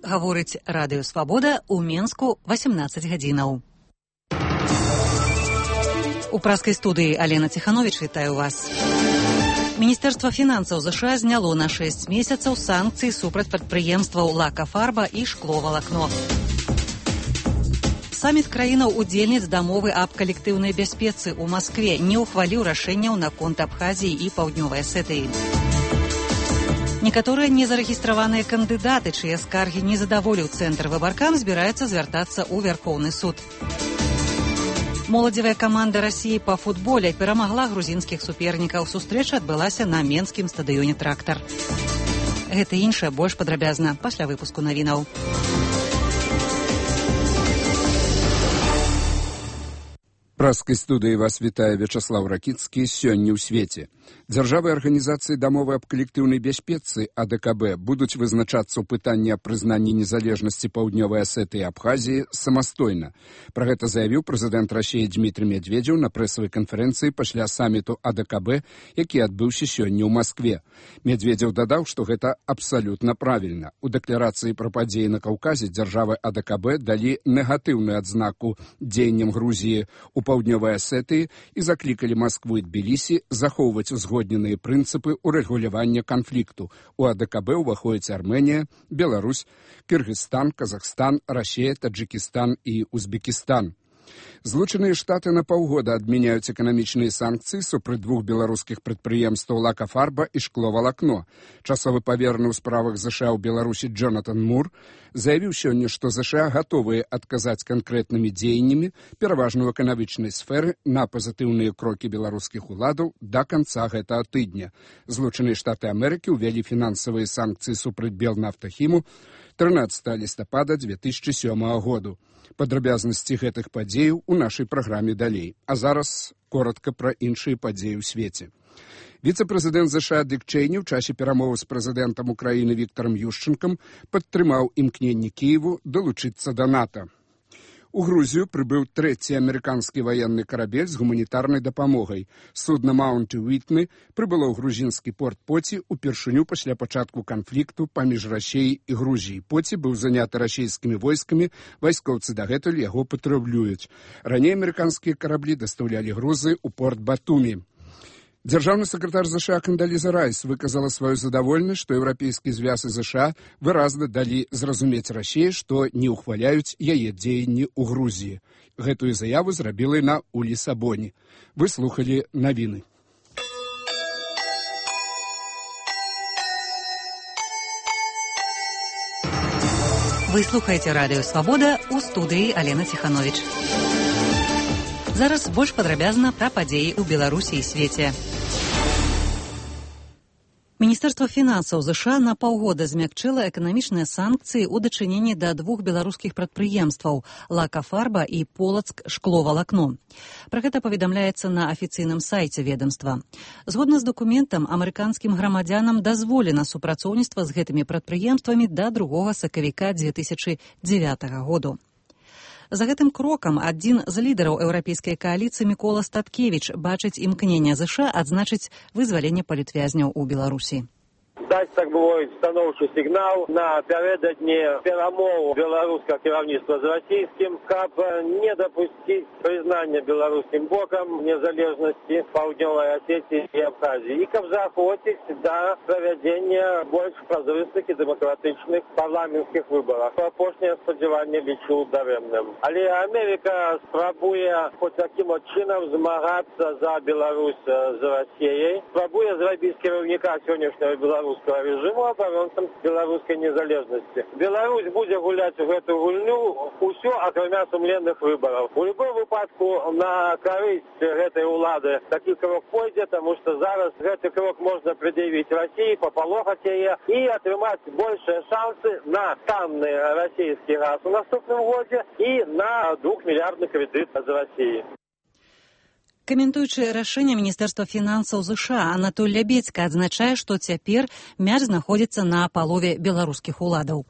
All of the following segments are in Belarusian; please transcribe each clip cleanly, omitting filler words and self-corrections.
Гаворыць радыё «Свабода» ў Менску 18 гадзінаў. У праскай студыі Алена Ціхановіч вітаю вас. Міністэрства фінансаў ЗША зняло на 6 месяцаў санкцыі супраць прадпрыемстваў «Лакафарба» і «Шкловалакно». Саміт краінаў-удзельніц дамовы аб калектыўнай бяспецы ў Маскве не ўхваліў рашэнняў наконт Абхазіі і Паўднёвай Асетыі. Некаторыя незарэгістраваныя кандыдаты, чые скаргі не задаволіў цэнтр выбаркам, збіраюцца звяртацца ў Вярхоўны суд. Моладзевая каманда Расіі па футболе перамагла грузінскіх супернікаў. Сустрэча адбылася на менскім стадыёне «Трактар». Гэта і іншае больш падрабязна пасля выпуску навінаў. Праскай студыі вас вітае Вячаслаў Ракіцкі. Сёння ў свеце. Дзяржавы арганізацыі дамовы аб калектыўнай бяспецы АДКБ будуць вызначацца ў пытанні аб прызнанні незалежнасці Паўднёвай Асетыі і Абхазіі самастойна. Пра гэта заявіў прэзідэнт Расіі Дмітрый Медведзеў на прэсавай канферэнцыі пасля саміту АДКБ, які адбыўся сёння ў Маскве. Медведзеў дадаў, што гэта абсалютна правільна. У дэкларацыі пра падзеі на Каўказе дзяржавы АДКБ далі негатыўную адзнаку дзеянням Грузіі у Паўднёвай Асетыі і заклікалі Маскву і Тбілісі захоўваць узгодненыя прынцыпы ўрэгулявання канфлікту. У АДКБ ўваходзяць Арменія, Беларусь, Кыргызстан, Казахстан, Расія, Таджикістан і Узбекістан. Злучаныя Штаты на паўгода адмяняюць эканамічныя санкцыі супраць двух беларускіх прадпрыемстваў «Лакафарба» і «Шкловалакно». Часовы павераны ў справах ЗША ў Беларусі Джонатан Мур заявіў сёння, што ЗША гатовыя адказаць канкрэтнымі дзеяннямі, пераважна ў эканамічнай сферы, на пазітыўныя крокі беларускіх уладаў да канца гэтага тыдня. Злучаныя Штаты Амерыкі ўвялі фінансавыя санкцыі супраць Белнафтахіму 13 лістапада 2007 году. Падрабязнасці гэтых падзеяў у нашай праграме далей. А зараз коротка пра іншыя падзеі ў свеце. Віцэ-прэзідэнт ЗША Дык Чэйні ў часе перамовы з прэзідэнтам Украіны Віктарам Юшчэнкам падтрымаў імкненне Кіеву далучыцца да НАТО. У Грузію прыбыў трэці амерыканскі ваенны карабель з гуманітарнай дапамогай. Судна «Маунт Уітні» прыбыло ў грузінскі порт Поці упершыню пасля пачатку канфлікту паміж Расіяй і Грузіяй. Поці быў заняты расійскімі войскамі, вайскоўцы дагэтуль яго патрабуюць. Раней амерыканскія караблі дастаўлялі грузы ў порт Батумі. Дзяржаўны сакратар ЗША Кандаліза Райс выказала сваю задаволенасць, што еўрапейскі звяз і ЗША выразна далі зразумець Расіі, што не ўхваляюць яе дзеянні ў Грузіі. Гэтую заяву зрабіла яна ў Лісабоне. Вы слухалі навіны. Вы слухаеце радыё «Свабода», у студыі Алена Ціхановіч. Зараз больш падрабязна пра падзеі ў Беларусі і свеце. Міністэрства фінансаў ЗША на паўгода змякчыла эканамічныя санкцыі ў дачыненні да двух беларускіх прадпрыемстваў «Лакафарба» і «Полацк Шкловалакно». Пра гэта паведамляецца на афіцыйным сайце ведамства. Згодна з дакументам, амерыканскім грамадзянам дазволена супрацоўніцтва з гэтымі прадпрыемствамі да 2 сакавіка 2009 году. За гэтым крокам адзін з лідараў еўрапейскай кааліцыі Мікола Статкевіч бачыць імкненне ЗША адзначыць вызваленне палітвязняў у Беларусі. Даць, так мовіць, станоўчы сігнал напярэдадні перамоў беларускага кіраўніцтва з расійскім, каб не дапусціць прызнання беларускім бокам незалежнасці Паўднёвай Асетіі і Абхазіі, і каб заахвоціць да правядзення больш празрыстых і дэмакратычных парламенцкіх выбарах. Апошняе спадзяванне лічу дарэмным. Але Амерыка спрабуе хоць такім чынам змагацца за Беларусь з Расіяй, спрабуе зрабіць кіраўніка сённяшняга беларускага режиму абаронцам беларускай незалежнасці. Беларусь будзе гуляць у гэту гульню ўсё, акрамя сумленных выбараў. У любым выпадку на карысць гэтай улады такі крок пойдзе, таму што зараз гэты крок можна прыдзявіць Расіі, папалохаць яе і атрымаць большыя шансы на танны расійскі газ у наступным годзе і на 2-мільярдны крэдыт з Расіі. Каментуючы рашэнне Міністэрства фінансаў ЗША, Анатоль Лябедзька адзначае, што цяпер мяч знаходзіцца на палове беларускіх уладаў.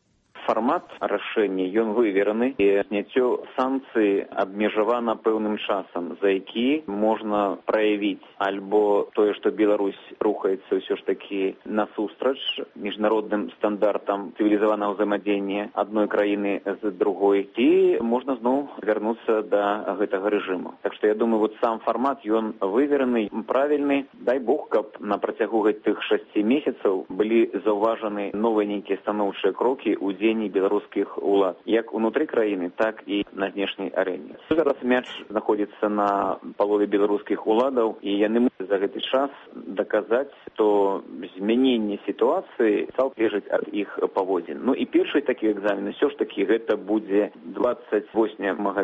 фармат рашэння, ён вывераны, і зняццё санкцый абмежавана пэўным часам, за які можна праявіць альбо тое, што Беларусь рухаецца ўсё ж такі насустрач міжнародным стандартам цывілізаванага ўзаемадзеяння адной краіны з другой, і можна зноў вярнуцца да гэтага рэжыму. Так што я думаю, вот сам фармат, ён вывераны, правільны. Дай Бог, каб на працягу гэтых 6 месяцаў былі заўважаны новыя нейкія станоўчыя крокі ў дзеянні беларускіх улад, як унутры краіны, так і на знешняй арэне. Зараз мяч знаходзіцца на палове беларускіх уладаў, і яны мусяць за гэты час даказаць, што змяненне сітуацыі залежыць ад іх паводзін. Ну і першы такі экзамен ўсё ж такі гэта будзе 28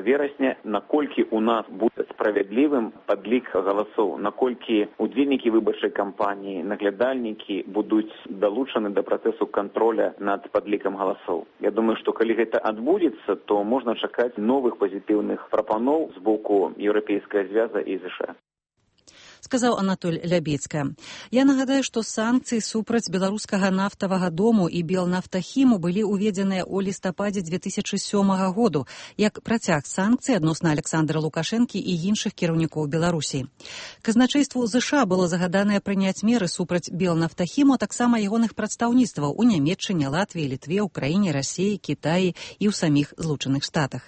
верасня, наколькі у нас будзе справядлівым падлік галасоў, наколькі удзельнікі выбарчай кампаніі, наглядальнікі будуць далучаны да працэсу контроля над падлікам галасоў. Я думаю, што калі гэта адбудзецца, то можна чакаць новых пазітыўных прапаноў з боку Еўрапейскага звяза і ЗША. Сказаў Анатоль Лябецька. Я нагадаю, што санкцыі супраць беларускага нафтавага дому і Белнафтахіму былі ўведзеныя ў лістападзе 2007 году як працяг санкцый адносна Александра Лукашэнкі і іншых кіраўнікоў Беларусі. Казначэйству ЗША было загаданае прыняць меры супраць Белнафтахіму, а таксама ягоных прадстаўніцтваў у Нямецчыне, Латвіі, Літве, Украіне, Расіі, Кітаі і ў саміх Злучаных Штатах.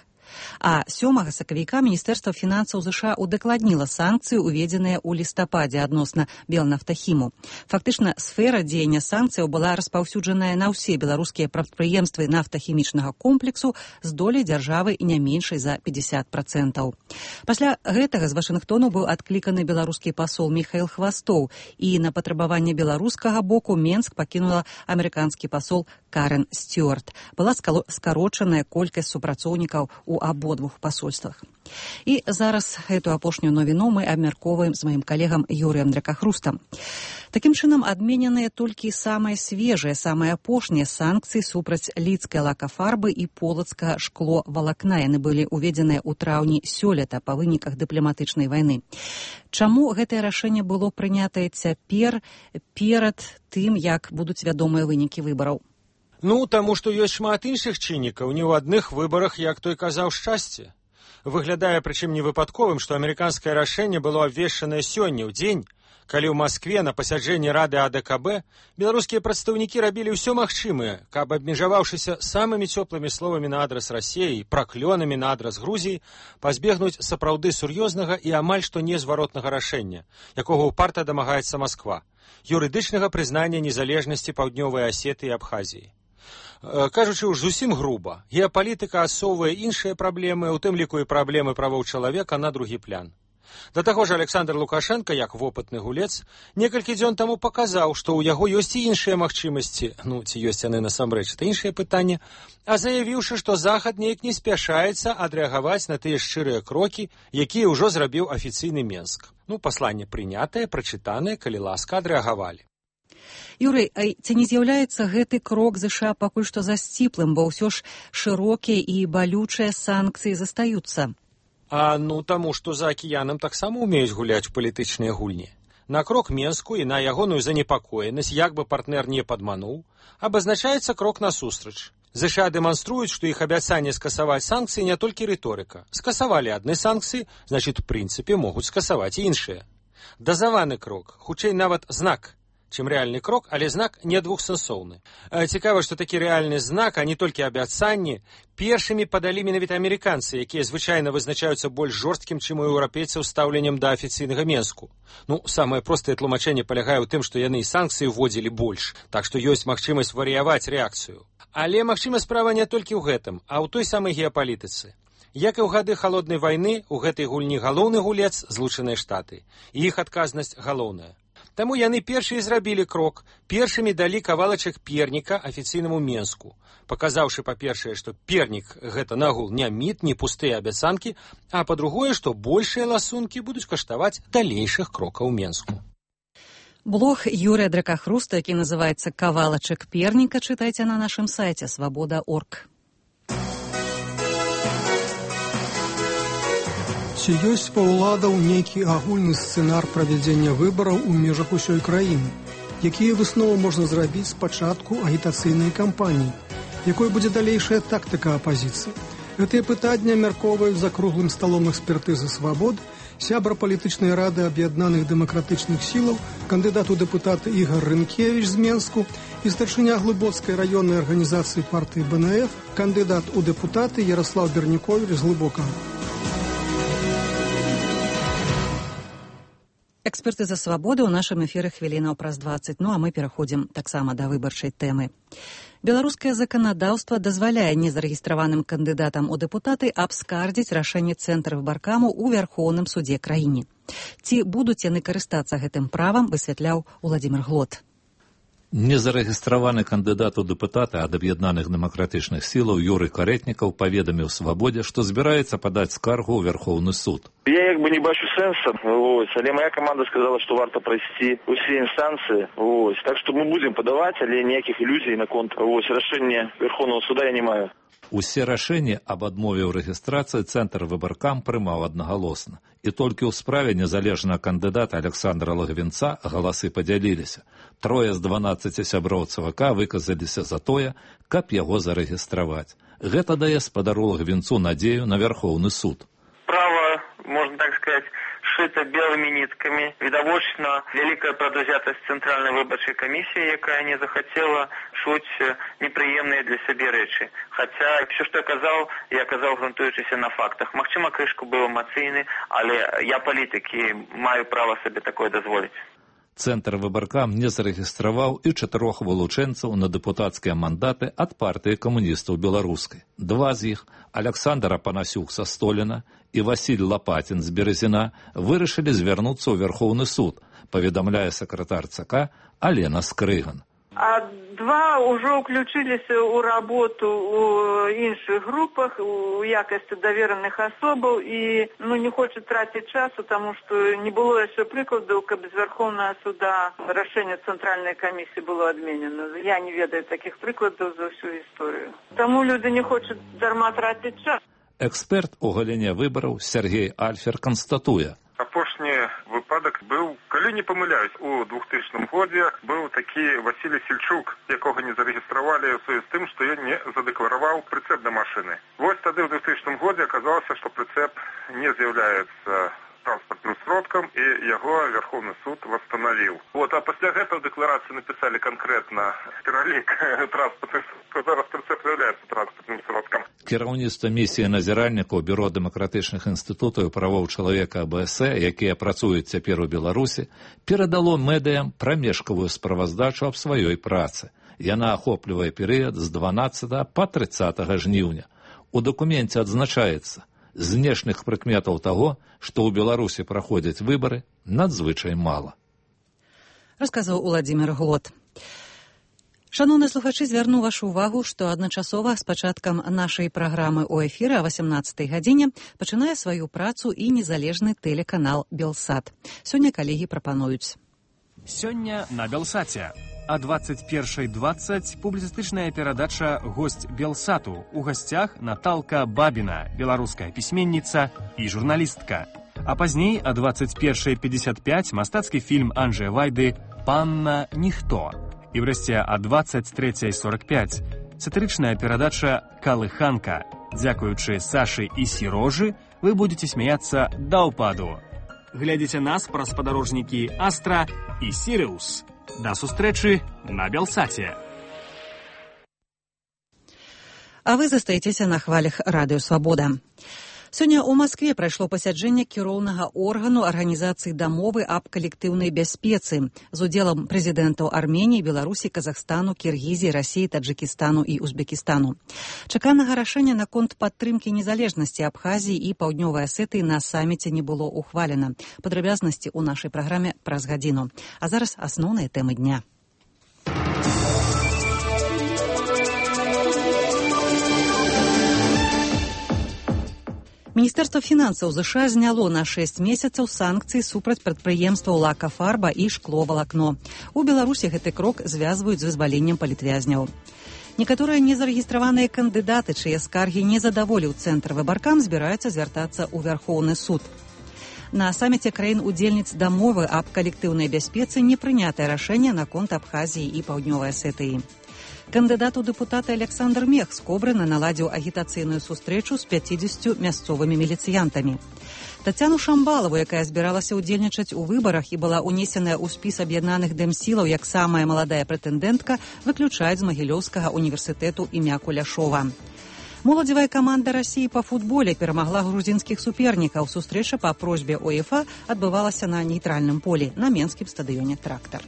А 7 сакавіка Міністэрства фінансаў ЗША удакладніла санкцыі, уведзеныя ў лістападзе адносна Белнафтахіму. Фактычна, сфера дзеяння санкцыяў была распаўсюджаная на ўсе беларускія прадпрыемствы нафтахімічнага комплексу з доляй дзяржавы не меншай за 50%. Пасля гэтага з Вашынгтону быў адкліканы беларускі пасол Міхаіл Хвастоў, і на патрабаванне беларускага боку Менск пакінула амерыканскі пасол Карен Стюарт. Была скарочаная колькасць супрацоўнікаў у абодвух пасольствах. І зараз гэту апошнюю навіну мы абмяркоўваем з маім калегам Юрыем Дракахрустам. Такім чынам, адмененыя толькі самыя свежыя, самыя апошнія санкцыі супраць лідскай лакафарбы і полацкага шкловалакна. Яны былі ўведзеныя ў траўні сёлета па выніках дыпламатычнай вайны. Чаму гэтае рашэнне было прынятае цяпер перад тым, як будуць вядомыя вынікі выбараў? Ну, таму што ёсць шмат іншых чыннікаў, не ў адных выбарах, як той казаў, шчасце. Выглядае, прычым не выпадковым, што амерыканскае рашэнне было абвешчанае сёння ў дзень, калі ў Маскве на пасяджэнні Рады АДКБ беларускія прадстаўнікі рабілі ўсё магчымае, каб, абмежаваўшыся самымі цёплымі словамі на адрас Расіі і праклёнамі на адрас Грузіі, пазбегнуць сапраўды сур'ёзнага і амаль што незваротнага рашэння, якога ўпарта дамагаецца Масква, юрыдычнага прызнання незалежнасці Паўднёвай Асеты і Абхазіі. Кажучы ўж зусім груба, геапалітыка асоўвае іншыя праблемы, у тым ліку і праблемы правоў чалавека на другі план. Да таго ж Александр Лукашенко, як вопытны гулец, некалькі дзён таму паказаў, што ў яго ёсць і іншыя магчымасці, ну, ці ёсць яны насамрэч, это іншае пытанне, а заявіўшы, што Захад неяк не спяшаецца адрэагаваць на тыя шчырыя крокі, якія ўжо зрабіў афіцыйны Менск. Ну, пасланне прынятае, прачытанае, калі ласка, адрэагавалі. Юрый, ці не з'яўляецца гэты крок ЗША пакуль што засціплым, бо ўсё ж шырокія і балючыя санкцыі застаюцца? Ну, таму што за акіянам таксама ўмеюць гуляць палітычныя гульні. На крок Менску і на ягоную занепакоенасць, як бы партнер не падмануў, абазначаецца крок насустрач. ЗША дэманструюць, што іх абяцанне скасаваць санкцыі не толькі рыторыка. Скасавалі адны санкцыі, значыць, у прынцыпе, могуць скасаваць і іншыя. Дазаваны крок, хутчэй нават знак, чым рэальны крок, але знак не двухсэнсоўны. Цікава, што такі рэальны знак, а не толькі абяцанні, першымі падалі менавіта амерыканцы, якія звычайна вызначаюцца больш жорсткім, чым у еўрапейцаў стаўленнем да афіцыйнага Менску. Ну, самае простае тлумачэнне палягае ў тым, што яны і санкцыі вводзілі больш, так што ёсць магчымасць варыяваць рэакцыю. Але, магчыма, справа не толькі ў гэтым, а ў той самай геапалітыцы. Як і ў гады халоднай вайны, у гэтай гульні галоўны гулец Злучаныя Штаты, і іх адказнасць галоўная. Таму яны першыя зрабілі крок, першымі далі кавалачак перніка афіцыйнаму Менску, паказаўшы, па-першае, што пернік гэта нагул не міт, не пустыя абяцанкі, а па-другое, што большыя ласункі будуць каштаваць далейшых крокаў Менску. Блог Юрыя Дракахруста, які называецца «Кавалачак перніка», чытайце на нашым сайце свабода.орг. Ці ёсць па ўладаў нейкі агульны сцэнар правядзення выбараў у межах усёй краіны? Якія высновы можна зрабіць з пачатку агітацыйнай кампаніі? Якой будзе далейшая тактыка апазіцыі? Гэтыя пытанні абмяркоўваюць за круглым сталом экспертызы «Свабод» сябра палітычнай рады аб'яднаных дэмакратычных сілаў, кандыдат у дэпутаты Ігар Рынкевіч з Менску і старшыня Глыбоцкай раённай арганізацыі партыі БНФ, кандыдат у дэпутаты Ярослав Бернікович з Глыбокага. Экспертыза «Свабоды» ў нашым эфіры хвілінаў праз 20, а мы пераходзім таксама да выбарчай тэмы. Беларускае заканадаўства дазваляе незарэгістраваным кандыдатам у дэпутаты абскардзіць рашэнне Цэнтра выбаркаму ў Вярхоўным судзе краіне. Ці будуць яны карыстацца гэтым правам, высвятляў Уладзімір Глот. Незарэгістраваны кандыдат у дэпутаты ад аб'яднаных дэмакратычных сілаў Юрый Карэтнікаў паведаміў «Свабодзе», што збіраецца падаць скаргу ў Вярхоўны суд. Я не бачу сэнса, але моя команда сказала, што варта прайсці усе інстанцыі. Так што мы будзем падаваць, але ніякіх ілюзій наконт рашэння Верховного суда я не маю. Усе рашэнні аб адмове ў рэгістрацыі Цэнтр выбаркам прымаў аднагалосна. І толькі ў справе незалежнага кандыдата Александра Лагвінца галасы падзяліліся. 3 з 12 сяброў ЦВК выказаліся за тое, каб яго зарэгістраваць. Гэта дае спадару Лагвінцу надзею на Верховны суд. Право, можно так сказать, шито белыми нитками. Відавочна вялікая прадузятасць Цэнтральнай выбарчай камісіі, якая не захацела чуць непрыемныя для сябе рэчы. Хаця все, што я казаў, грунтуючыся на фактах. Магчыма, крышку быў эмацыйны, але я палітык і маю права сабе такое дазволіць. Цэнтр выбаркам не зарэгістраваў і 4 вылучэнцаў на дэпутацкія мандаты ад партыі камуністаў беларускай. 2 з іх, Александр Апанасюк са Століна і Васіль Лапатін з Березіна, вырашылі звярнуцца ў Верховны суд, паведамляе сакратар ЦК Алена Скрыган. А 2 ўжо ўключыліся ў работу ў іншых групах у якасці давераных асобаў і не хочуць траціць часу, таму што не было яшчэ прыкладаў, каб з Верховнага суда рашэнне Цэнтральнай камісіі было адменена. Я не ведаю такіх прыкладаў за ўсю гісторыю. Таму люди не хочуць дарма траціць час. Эксперт у галіне выбараў Сергей Альфер канстатуе. Апошні выпадак быў, калі не памыляюсь, у 2000 годзе быў такі Васілій Сельчук, якога не зарэгістравалі ў сувязі з тым, што ён не задэклараваў прыцэп да машыны. Вось тады ў 2000 годзе аказалася, што прыцэп не з'яўляецца транспартным сродкам, і яго Верховны суд восстановіў. А пасля гэтага дэкларацыі напісалі канкрэтна пералік транспартных сродкаў. Зараз прыцэп з'яўляецца транспартным сродкам. Кіраўніцтва місіі назіральнікаў Бюро дэмакратычных інстытутаў і правоў чалавека АБС, якія працуюць цяпер у Беларусі, перадало медыям прамежкавую справаздачу аб сваёй працы. Яна ахоплівае перыяд з 12 па 30 жніўня. У дакуменце адзначаецца, знешніх прыкметаў таго, што ў Беларусі праходзяць выбары, надзвычай мала. Расказаў Уладзімір Глот. Шановныя слухачы, звярну вашу увагу, што адначасова з пачаткам нашай праграмы ў эфіры о 18 гадзіне пачынае сваю працу і незалежны тэлеканал «Белсат». Сёння калегі прапануюць. Сёння на «Белсаце». А 21:20 публіцыстычная перадача «Госць Белсату». У гасцях Наталка Бабіна, беларуская пісьменніца і журналістка. А пазней о 21:55 мастацкі фільм Анджэя Вайды «Панна Ніхто». І врэшце о 23:45 сатырычная перадача «Калыханка». Дзякуючы Сашы і Сірожы вы будете смяяцца да ўпаду. Глядзіце нас праз спадарожнікі «Астра» і «Сіриус». До сустрэчы на Белсаце. А вы застаецеся на хвалях Радыё Свабода. Сёння ў Маскве прайшло пасяджэнне кіроўнага органу Арганізацыі дамовы аб калектыўнай бяспецы з удзелам прэзідэнтаў Арменіі, Беларусі, Казахстану, Кіргізіі, Расіі, Таджыкістану і Узбекістану. Чаканага рашэння наконт падтрымкі незалежнасці Абхазіі і Паўднёвай Асетыі на саміце не было ухвалена. Падрабязнасці ў нашай праграме праз гадзіну. А зараз асноўныя тэмы дня. Міністэрства фінансаў ЗША зняло на 6 месяцаў санкцыі супраць прадпрыемстваў «Лакафарба» і «Шкловалакно». У Беларусі гэты крок звязваюць з вызваленнем палітвязняў. Некаторыя незарэгістраваныя кандыдаты, чые скаргі не задаволіў Цэнтр выбаркам, збіраюцца звяртацца ў Вярхоўны суд. На саміце краін-удзельніц дамовы аб калектыўнай бяспецы не прынятае рашэнне наконт Абхазіі і Паўднёвай Асетыі. Кандыдат у дэпутаты Александр Мех з Кобрына наладзіў агітацыйную сустрэчу з 50 мясцовымі міліцыянтамі. Тацяну Шамбалаву, якая збіралася ўдзельнічаць у выбарах і была ўнесеная ў спіс аб'яднаных дэмсілаў як самая маладая прэтэндэнтка, выключаюць з Магілёўскага універсітэту імя Куляшова. Моладзевая каманда Расіі па футболе перамагла грузінскіх супернікаў. Сустрэча па просьбе УЕФА адбывалася на нейтральным полі на менскім стадыёне «Трактар».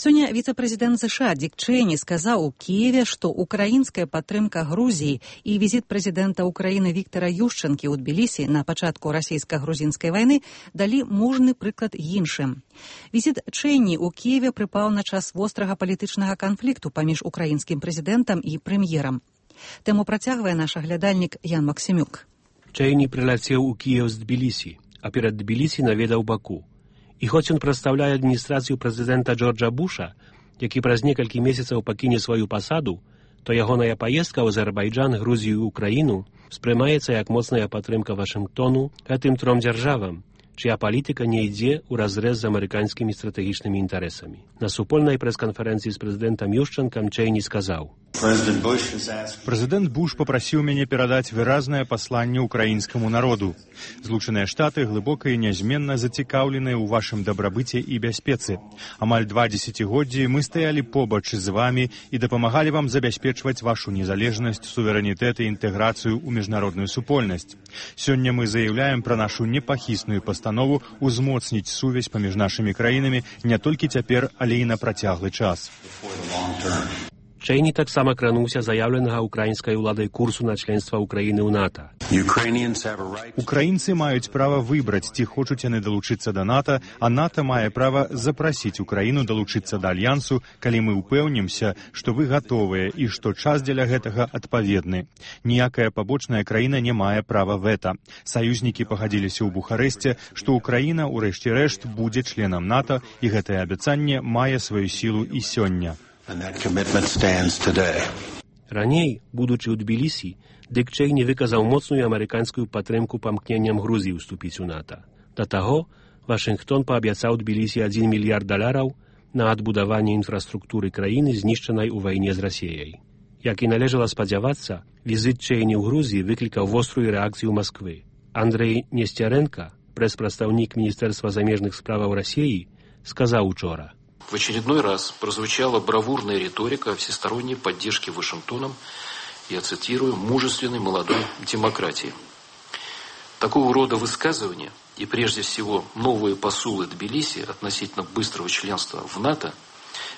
Сёння віцэ-прэзідэнт США Дик Чэйні сказаў у Кіеве, што украінская падтрымка Грузіі і візіт прэзідэнта Украіны Віктара Юшчэнкі ў Тбілісі на пачатку расійска-грузінскай вайны далі мужны прыклад іншым. Візіт Чэйні ў Кіеве прыпаў на час вострага палітычнага канфлікту паміж украінскім прэзідэнтам і прэм'ерам. Тэму працягвае наш аглядальнік Ян Максімюк. Чэйні прыляцеў у Кіев з Тбілісі, а перад Тбілісі наведаў Баку. І хоць ён прадстаўляе адміністрацыю прэзідэнта Джорджа Буша, які праз некалькі месяцаў пакіне сваю пасаду, то ягоная паездка ў Азербайджан, Грузію і Украіну спрымаецца як моцная падтрымка Вашынгтону гэтым тром дзяржавам, чыя палітыка не ідзе ўразрэз з амерыканскімі стратэгічнымі інтарэсамі. На супольнай прэс-канферэнцыі з прэзідэнтам Юшчэнкам Чэйні сказаў: Прэзідэнт Буш папрасіў мяне перадаць выразнае пасланне ўкраінскаму народу. Злучаныя Штаты глыбока і нязменна зацікаўленыя ў вашым дабрабыце і бяспецы. Амаль 2 дзесяцігоддзі мы стаялі побач з вамі і дапамагалі вам забяспечваць вашу незалежнасць, суверэнітэт і інтэграцыю ў міжнародную супольнасць. Сёння мы заяўляем пра нашу непахісную пастанову узмоцніць сувязь паміж нашымі краінамі не толькі цяпер, але і на працяглы час. Чэйні таксама крануўся заяўленага украінскай уладай курсу на членства Украіны ў НАТО. Украінцы маюць права выбраць, ці хочуць яны далучыцца да НАТО, а НАТО мае права запрасіць Украіну далучыцца да альянсу, калі мы ўпэўнімся, што вы гатовыя і што час дзеля гэтага адпаведны. Ніякая пабочная краіна не мае права вэта. Саюзнікі пагадзіліся ў Бухарэсце, што Украіна, у рэшце рэшт, будзе членам НАТО, і гэтае абяцанне мае сваю сілу і сёння. Раней, будучы ў Тбілісі, Дик Чэйні выказаў моцную амерыканскую падтрымку памкненням Грузіі ўступіць у НАТО. Да таго, Вашынгтон паабяцаў Тбілісі $1 мільярд на адбудаванне інфраструктуры краіны, знішчанай у вайне з Расіяй. Як і належала спадзявацца, візіт Чэйні ў Грузіі выклікаў вострую рэакцыю Масквы. Андрэй Несцярэнка, прэс-прадстаўнік Міністэрства замежных справаў Расіі, сказаў учора: В очередной раз прозвучала бравурная риторика всесторонней поддержки Вашингтоном, я цитирую, мужественной молодой демократии. Такого рода высказывания и прежде всего новые посулы Тбилиси относительно быстрого членства в НАТО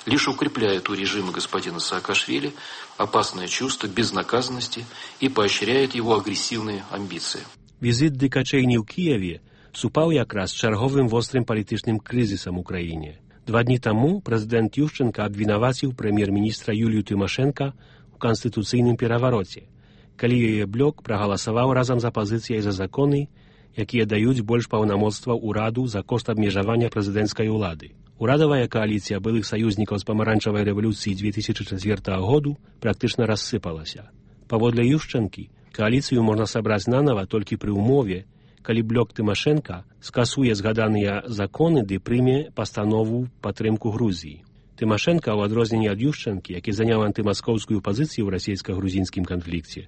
лишь укрепляют у режима господина Саакашвили опасное чувство безнаказанности и поощряет его агрессивные амбиции. Визит Дика Чэйні ў Киеве супаў якраз з чарговым вострым палітычным крызісам у краіне. 2 дні таму прэзідэнт Юшчэнка абвінаваціў прэм'ер-міністра Юлію Тымашэнка у канстытуцыйным перавароце, калі яе блок прагаласаваў разам з апазіцыяй за законы, якія даюць больш паўнамоцтваў ураду за кошт абмежавання прэзідэнцкай улады. Урадавая кааліцыя былых саюзнікаў з памаранчавай рэвалюцыі 2004 году практычна рассыпалася. Паводле Юшчэнкі, кааліцыю можна сабраць нанава толькі пры ўмове, калі блок Тымашэнка скасуе згаданыя законы ды прыме пастанову падтрымку Грузіі. Тымашэнка, у адрозненне ад Юшчэнкі, які заняў антымаскоўскую пазіцыю ў расійска-грузінскім канфлікце,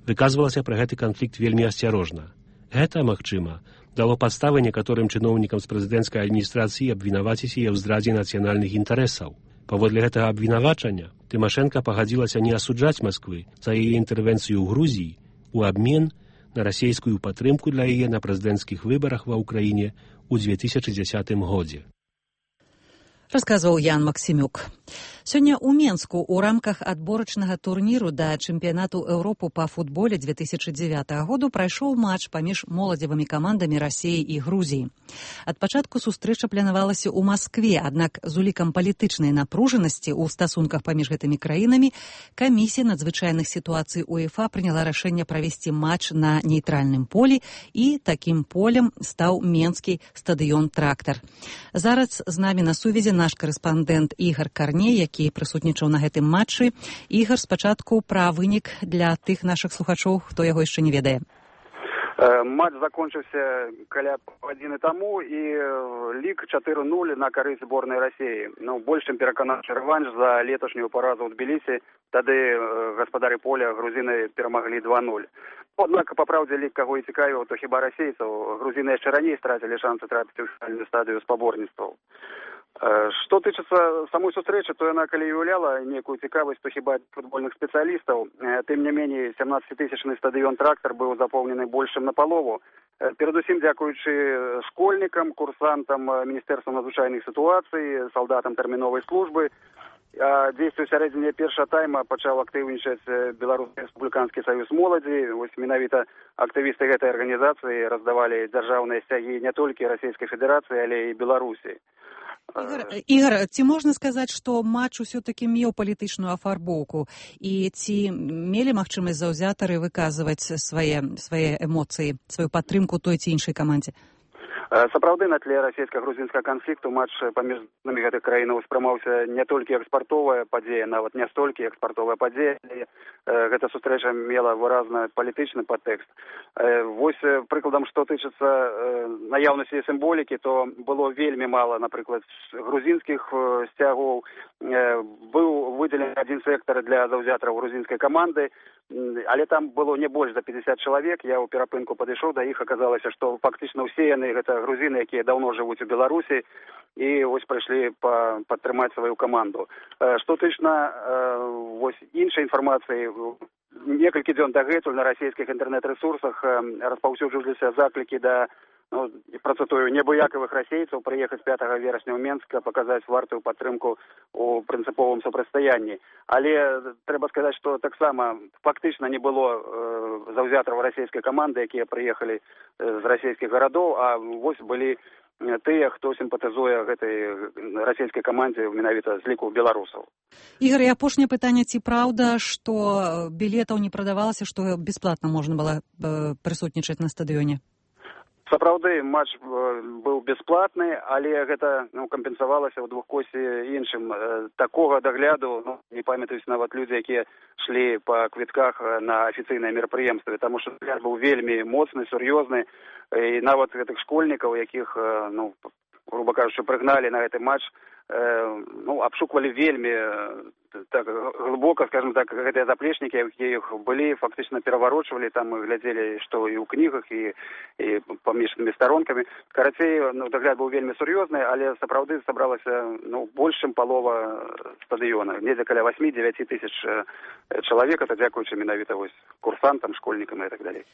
выказвалася пра гэты канфлікт вельмі асцярожна. Гэта, магчыма, дало падставы некаторым чыноўнікам з прэзідэнцкай адміністрацыі абвінаваціць яе ў здрадзе нацыянальных інтарэсаў. Паводле гэтага абвінавачання Тымашэнка пагадзілася не асуджаць Масквы за яе інтэрвенцыю ў Грузіі у абмен на расійскую падтрымку для яе на прэзідэнцкіх выбарах ва ўкраіне ў 2010 годзе. Расказваў Ян Максімюк. Сёння ў Менску ў рамках адборачнага турніру да чэмпіянату Еўропы па футболе 2009 году прайшоў матч паміж моладзевымі камандамі Расіі і Грузіі. Ад пачатку сустрэча планавалася ў Маскве, аднак з улікам палітычнай напружанасці ў стасунках паміж гэтымі краінамі камісія надзвычайных сітуацый УЕФА прыняла рашэнне правесці матч на нейтральным полі, і такім полем стаў менскі стадыён «Трактар». Зараз з намі на сувязі наш карэспандэнт Ігар Карней, які прысутнічаў на гэтым матчы. Ігар, спачатку пра вынік для тых нашых слухачоў, хто яго яшчэ не ведае. Матч закончился каля гадзіны таму, і лік 4-0 на карысць зборнай Расіі. Больш чым пераканаўчы рэванш за леташнюю паразу ў Тбілісі. Тады гаспадары поля грузіны перамаглі 2-0. Однак, па праўдзе, лік каго і цікавіў, то хіба расейцаў. Грузіны яшчэ раней страцілі шансы трапіць у фінальную стадыю спаборніцтваў. Што тычыцца самой сустрэчы, то яна калі уяўляла некую цікавасць, то хіба футбольных спецыялістаў. Тым не меней, 17-тысячны стадыён «Трактар» быў запоўнены больш чым напалову. Перадусім дзякуючы школьнікам, курсантам Міністэрства надзвычайных сітуацый, салдатам тэрміновай службы. Дзействуе ў сярэдзіне першага тайма пачаў актыўнічаць Беларускі рэспубліканскі саюз моладзі. Вось менавіта актывісты гэтай арганізацыі раздавалі дзяржаўныя сцягі не толькі Расійскай Федэрацыі, але і Беларусі. Ігар, ці можна сказаць, што матч усё-такі меў палітычную афарбоўку, і ці мелі магчымасць заўзятары выказваць свае эмоцыі, сваю падтрымку той ці іншай камандзе? Сапраўды, на тле расійска-грузінскага канфлікту матч паміж гэтых краінаў спрымаўся не толькі экспартовая падзея, нават не столькі экспартовая падзея, гэта сустрэча мела выразна палітычны падтэкст. Вось прыкладам, што тычыцца наяўнасці сімволікі, то было вельмі мала, напрыклад, грузінскіх сцягоў. Быў выдзелены адзін сектар для заўзятараў грузінскай каманды, але там было не больш за 50 чалавек. Я ў перапынку падышоў да іх, аказалася, што фактычна ўсе яны гэта грузіны, якія даўно жывуць у Беларусі, і вось прыйшлі падтрымаць сваю каманду. Што тычна вось іншай інфармацыі, некалькі дзён дагэтуль на расійскіх інтэрнэт-рэсурсах распаўсюджваліся заклікі да, працытую, небыякавых расейцаў прыехаць 5 верасня ў Менска, паказаць вартую падтрымку у прынцыповым супрацьстаянні. Але трэба сказаць, што таксама фактычна не было заўзятараў расійскай каманды, якія прыехалі з расійскіх гарадоў, а вось былі тыя, хто сімпатызуе гэтай расійскай камандзе менавіта з ліку беларусаў. Ігар, і апошняе пытанне, ці праўда, што білетаў не прадавалася, што бясплатна можна было прысутнічаць на стадыёне? Сапраўды, матч быў бясплатны, але гэта кампенсавалася ў двухкосе іншым. Такога дагляду, не памятаюць нават людзі, якія шлі па квітках на афіцыйныя мерапрыемствы, таму што дагляд быў вельмі моцны, сур'ёзны, і нават гэтых школьнікаў, якіх, груба кажучы, прыгналі на гэты матч, абшуквалі вельмі так глыбока, скажем так, гэтыя заплечнікі, якія іх былі, фактычна пераварочвалі, там мы глядзелі, што і ў кнігах, і паміжнымі старонкамі. Карацей, дагляд быў вельмі сур'ёзны, але сапраўды сабралася больш чым палова стадыёна, недзе каля 8-9 тысяч чалавек, это дзякуючы менавіта вось курсантам, школьнікам і так далей.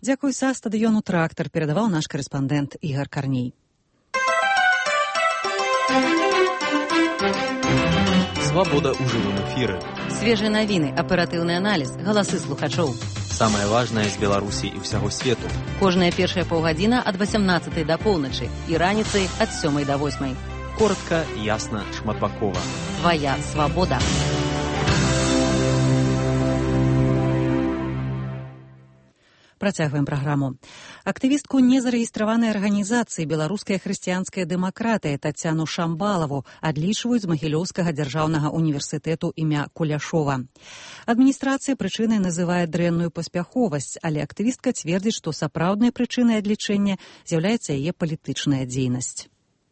Дзякуй, са стадыёну «Трактар» перадаваў наш карэспандэнт Ігар Карней. Свабода ў жывым эфіры. Свежыя навіны, аператыўны аналіз, галасы слухачоў. Самае важнае з Беларусі і ўсяго свету. Кожная першая паўгадзіна ад 18 да поўначы і раніцай ад 7 да 8. Коротка, ясна, шматбакова. Твая свабода. Працягваем праграму. Актывістку незарэгістраванай арганізацыі «Беларуская хрысціянская дэмакратыя» Тацяну Шамбалаву адлічваюць з Магілёўскага дзяржаўнага універсітэту імя Куляшова. Адміністрацыя прычынай называе дрэнную паспяховасць, але актывістка цвердзіць, што сапраўднай прычынай адлічэння з'яўляецца яе палітычная дзейнасць.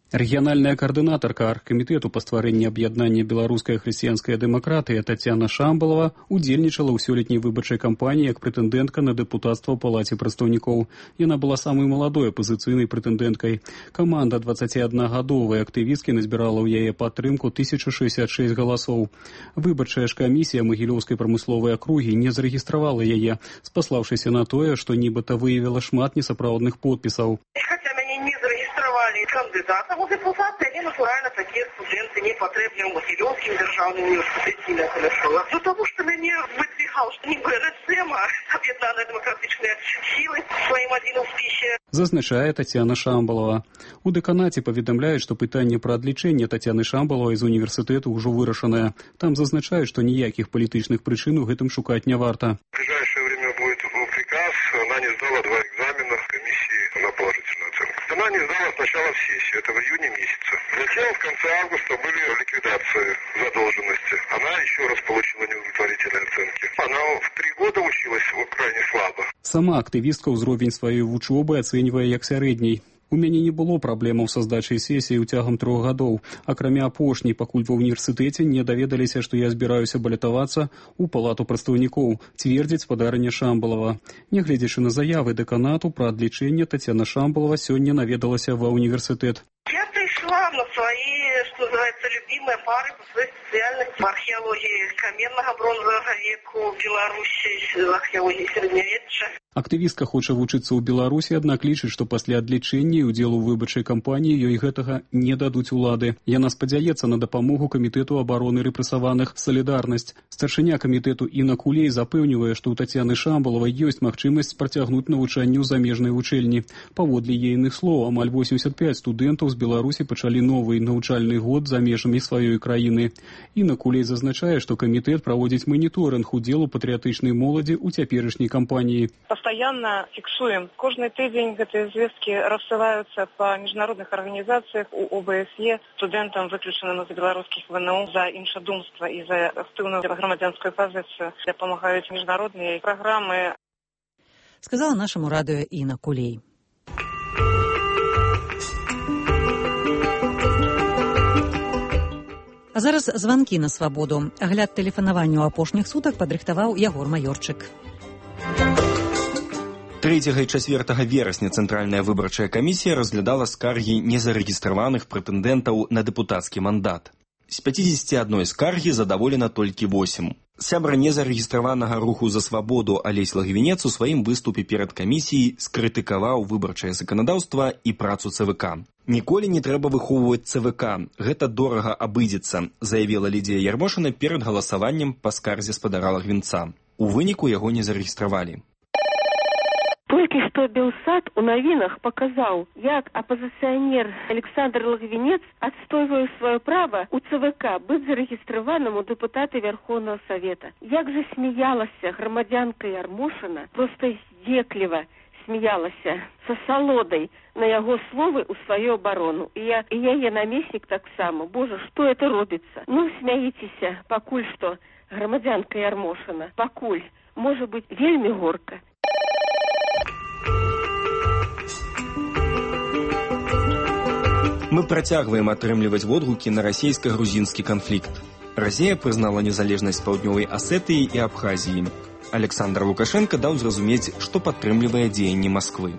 Рэгіянальная каардынатарка аргкамітэту па стварэнні аб'яднання «Беларуская хрысціянская дэмакратыя» Тацяна Шамбалава удзельнічала ў сёлетняй выбарчай кампаніі як прэтэндэнтка на дэпутацтва ў палаце прадстаўнікоў. Яна была самай маладой апазіцыйнай прэтэндэнткай. Каманда 21-гадовай актывісткі назбірала ў яе падтрымку 1066 галасоў. Выбарчая ж камісія Магілёўскай прамысловай акругі не зарэгістравала яе, спаслаўшыся на тое, што нібыта выявіла шмат несапраўдных подпісаў. Кандидатам у депутаты, они, натурально, такие студенты не потребны в Могилевском державном университете имя Куляшова. Ну, потому что меня выдвигал, что не БРСМ, а объединенные демократичные силы своим один успехе. Зазначае Тацяна Шамбалава. У дэканаце паведамляюць, што пытанне пра адлічэнне Тацяны Шамбалавай з універсітэту ўжо вырашанае. Там зазначаюць, што ніякіх палітычных прычын у гэтым шукаць не варта. В ближайшее время будет приказ. Она не сдала 2 экзамена в комиссии, она положительную оценку. Она не сдала сначала в сессию, это в июне месяце. Затем в конце августа были ликвидации задолженности. Она еще раз получила неудовлетворительные оценки. Она в 3 года училась крайне слабо. Сама актывістка ўзровень сваёй вучобы ацэньвае як сярэдняй. У мяне не было праблемаў са здачай сесіі ўцягам 3 гадоў. Акрамя апошняй, пакуль ва ўніверсітэце не даведаліся, што я збіраюся балятавацца ў палату прадстаўнікоў, цвердзіць спадарыня Шамбалова. Нягледзячы на заявы дэканату пра адлічэнне, Тацяна Шамбалова сёння наведалася ва універсітэт. Я пришла на свои, что называется, любимые пары по своей специальности. В археологии каменного бронзового века в Беларуси, в археологии средневечья. Актывістка хоча вучыцца ў Беларусі, аднак лічыць, што пасля адлічэння і ўдзелу ў выбарчай кампаніі ёй гэтага не дадуць улады. Яна спадзяецца на дапамогу камітэту абароны рэпрэсаваных «Салідарнасць». Старшыня камітэту Інна Кулей запэўнівае, што ў Тацяны Шамбалавай ёсць магчымасць працягнуць навучанне ў замежнай вучэльні. Паводле ейных слоў, амаль 85 студэнтаў з Беларусі пачалі новы навучальны год за межамі сваёй краіны. Інна Кулей зазначае, што камітэт праводзіць маніторынг удзелу патрыятычнай моладзі ў цяперашняй кампаніі. Постоянно фиксуем. Каждый день эти известки рассылаются по международных организациях у ОБСЕ студентам, выключенным из белорусских ВНУ, за іншадумство и за активную громадянскую позицию. Помогают международные программы. Сказала нашему радио Інна Кулей. А зараз званкі на свабоду. Агляд тэлефанавання ў апошніх сутак падрыхтаваў Ягор Маёрчык. 3 і 4 верасня Цэнтральная выбарчая камісія разглядала скаргі незарэгістраваных прэтэндэнтаў на дэпутацкі мандат. З 51 скаргі задаволена толькі 8. Сябра незарэгістраванага руху за свабоду Алесь Лагвінец у сваім выступе перад камісіяй скрытыкаваў выбарчае заканадаўства і працу ЦВК. «Ніколі не трэба выхоўваць ЦВК. Гэта дорага абыдзецца», заявіла Лідія Ярмошына перад галасаваннем па скарзе спадара Лагвінца. У выніку яго не зарэгістравалі. Толькі што Белсат у навінах паказаў, як апазіцыянер Александр Лагвінец адстойвае сваё права ў ЦВК быць зарэгістраваным у дэпутаты Верховнага Савета. Як жа смяялася грамадзянка Ярмошына, проста здзекліва смяялася са салодай на яго словы ў сваю абарону. І яе намеснік таксама. Божа, што это робіцца? Ну, смяіцеся, пакуль што, грамадзянка Ярмошына. Пакуль. Можа быць, вельмі горка. Мы працягваем атрымліваць водгукі на расійска-грузінскі канфлікт. Расія прызнала незалежнасць Паўднёвай Асетыі і Абхазіі. Александр Лукашенко даў зразумець, што падтрымлівае дзеянні Масквы.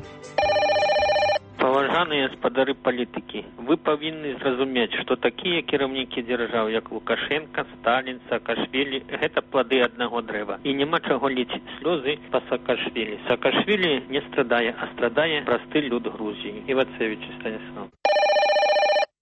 Паважаныя спадары палітыкі, вы павінны зразумець, што такія кіраўнікі дзяржаў, як Лукашенко, Сталін, Саакашвілі, гэта плады аднаго дрэва. І няма чаго лічыць слёзы па Саакашвілі. Саакашвілі не страдае, а страдае просты люд Грузіі. Івацевіч Станіслав.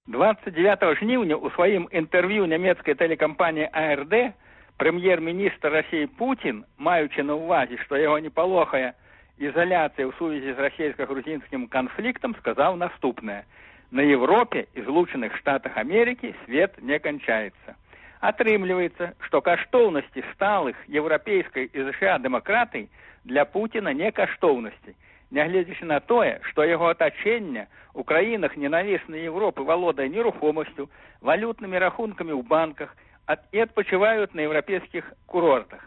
29 жніўня ў сваім інтэрв'ю нямецкай тэлекампаніі АРД прэм'ер-міністр Расіі Путін, маючы на ўвазе, што яго не палохае ізаляцыя ў сувязі з расійска-грузінскім канфліктам, сказаў наступнае. На Европе і Злучаных Штатах Амерыкі свет не канчаецца. Атрымліваецца, што каштоўнасці сталых еўрапейскай і США дэмакратый для Путіна не каштоўнасці, нягледзячы на тое, што яго атачэнне у краінах ненавіснай Европы валодае нерухомасцю, валютнымі рахункамі ў банках і адпачываюць на еўрапейскіх курортах.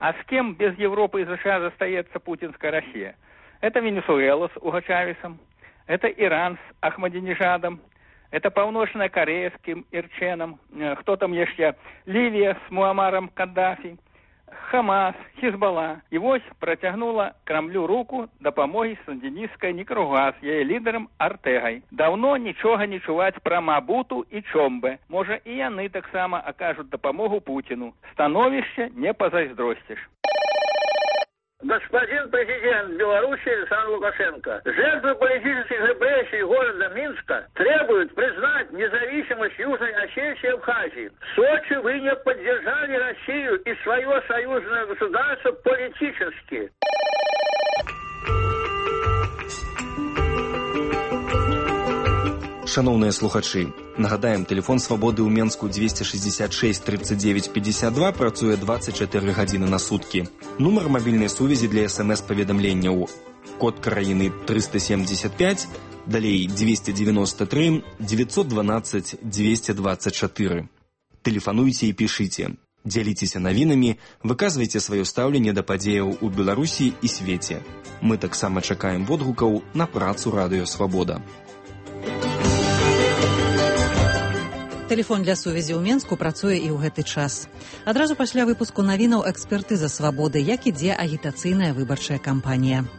А з кем без Европы и США застаецца путинская Россия? Это Венесуэла с Уго Чавесом, это Иран с Ахмадинежадом, это Паўночная Корея с Ким Ир Ченом, кто там еще? Ливия с Муамаром Каддафи, Хамас, Хизбалла. И вось протягнула Кремлю руку дапамогі сандинистской Никарагуа с яе лидером Артегой. Давно нічога не чуваць пра Мабуту и Чомбе. Можа и яны таксама окажут дапамогу Путину. Становище не позайздростишь. Господин президент Беларуси Александр Лукашенко, жертвы политических репрессий города Минска требуют признать независимость Южной Осетии и Абхазии. В Сочи вы не поддержали Россию и свое союзное государство политически. Шановныя слухачы, нагадаем, тэлефон свабоды ў Менску 266 39 52 працуе 24 гадзіны на суткі. Нумар мабільнай сувязі для СМС-паведамленняў код краіны 375, далей 293 912 224. Тэлефануйце і пішыце. Дзяліцеся навінамі, выказвайце сваё стаўленне да падзеяў у Беларусі і свеце. Мы таксама чакаем водгукаў на працу Радыё Свабода. Тэлефон для сувязі ў Менску працуе і ў гэты час. Адразу пасля выпуску навінаў экспертыза Свабоды, як ідзе агітацыйная выбарчая кампанія.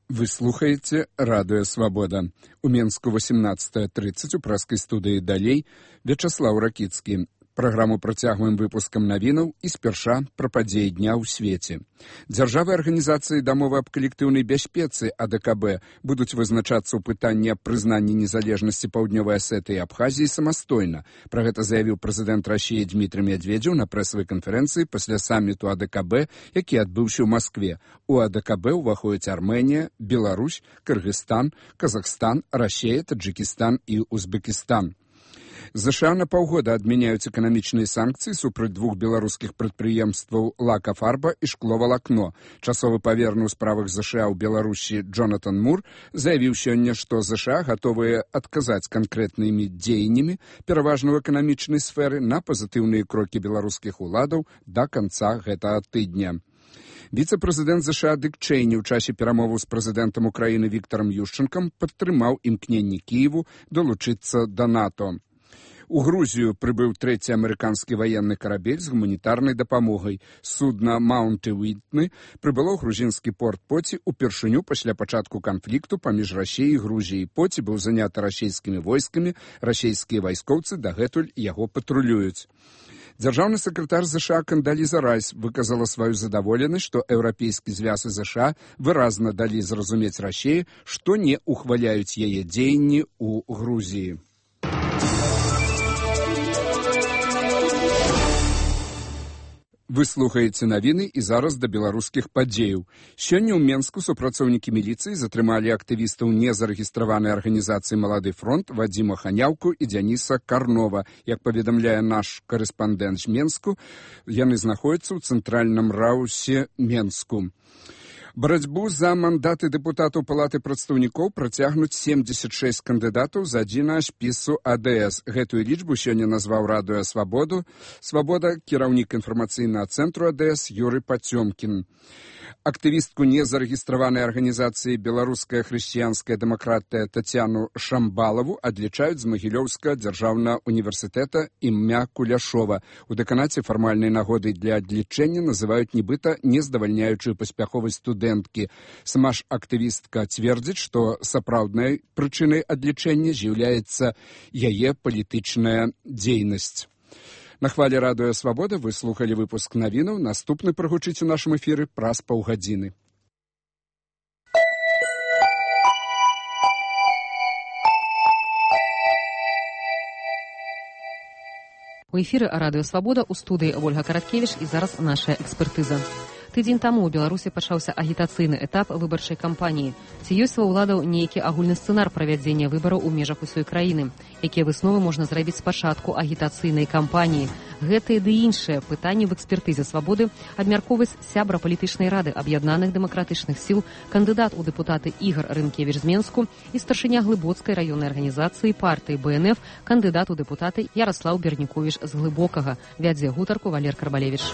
Вы слухаеце Радыё Свабода. У Менску 18:30 у прэскай студыі «Далей» Вячаслаў Ракіцкі. Праграму працягваем выпускам навінаў і спярша пра падзеі дня ў свеце. Дзяржавы арганізацыі дамовы аб калектыўнай бяспецы АДКБ будуць вызначацца ў пытанні аб прызнанні незалежнасці Паўднёвай Асетыі і Абхазіі самастойна. Пра гэта заявіў прэзідэнт Расіі Дмітрый Медведзеў на прэсавай канферэнцыі пасля саміту АДКБ, які адбыўся ў Маскве. У АДКБ ўваходзяць Армэнія, Беларусь, Кыргызстан, Казахстан, Расія, Таджикістан і Узбекістан. ЗША на паўгода адмяняюць эканамічныя санкцыі супраць двух беларускіх прадпрыемстваў «Лака-Фарба» і «Шкло-Валакно». Часовы паверны ў справах ЗША ў Беларусі Джонатан Мур заявіў сёння, што ЗША гатовыя адказаць канкрэтнымі дзеяннямі, пераважна ў эканамічнай сферы, на пазітыўныя крокі беларускіх уладаў да канца гэтага тыдня. Віцэ-прэзідэнт ЗША Дык Чэйні ў часе перамоваў з прэзідэнтам Украіны Віктарам Юшчэнкам падтрымаў імкненні Кіеву далучыцца да НАТО. У Грузію прыбыў трэці амерыканскі ваенны карабель з гуманітарнай дапамогай. Судна «Маунт Уітны» прыбыло ў грузінскі порт Поці упершыню пасля пачатку канфлікту паміж Расіяй і Грузіяй. Поці быў заняты расійскімі войскамі, расійскія вайскоўцы дагэтуль яго патрулююць. Дзяржаўны сакратар ЗША Кандаліза Райс выказала сваю задаволенасць, што еўрапейскі звяз і ЗША выразна далі зразумець Расіі, што не ухваляюць яе дзеянні ў Грузіі. Вы слухаеце навіны і зараз да беларускіх падзеяў. Сёння ў Менску супрацоўнікі міліцыі затрымалі актывістаў незарэгістраванай арганізацыі «Малады фронт» Вадзіма Ханяўку і Дзяніса Карнова. Як паведамляе наш карэспандэнт з Менску, яны знаходзяцца ў цэнтральным раусе Менску. Барацьбу за мандаты дэпутатаў Палаты прадстаўнікоў працягнуць 76 кандыдатаў з адзінага спісу АДС. Гэтую лічбу сёння назваў Радыё Свабода кіраўнік інфармацыйнага цэнтру АДС Юрый Пацёмкін. Актывістку незарэгістраванай арганізацыі «Беларуская хрысціянская дэмакратыя» Тацяну Шамбалаву адлічаюць з Магілёўскага дзяржаўнага універсітэта імя Куляшова. У дэканаце фармальнай нагодай для адлічэння называюць нібыта нездавальняючую паспяховасць студэнткі. Сама ж актывістка цвердзіць, што сапраўднай прычынай адлічэння з'яўляецца яе палітычная дзейнасць. На хвале Радыё Свабода вы слухалі выпуск навінаў. Наступны прагучыць у нашым эфіры праз паўгадзіны. У эфіры Радыё Свабода, у студыі Ольга Караткевіч і зараз наша экспертыза. Тыдзень таму ў Беларусі пачаўся агітацыйны этап выбарчай кампаніі. Ці ёсць ва ўладаў нейкі агульны сцэнар правядзення выбараў у межах усёй краіны? Якія высновы можна зрабіць спачатку агітацыйнай кампаніі? Гэтыя ды іншыя пытанні в экспертызе Свабоды абмяркоўваюць сябра палітычнай рады аб'яднаных дэмакратычных сіл, кандыдат у дэпутаты Ігар Рынкевіч з Менску і старшыня Глыбоцкай раённай арганізацыі партыі БНФ, кандыдат у дэпутаты Яраслаў Берніковіч з Глыбокага. Вядзе гутарку Валер Карбалевіч.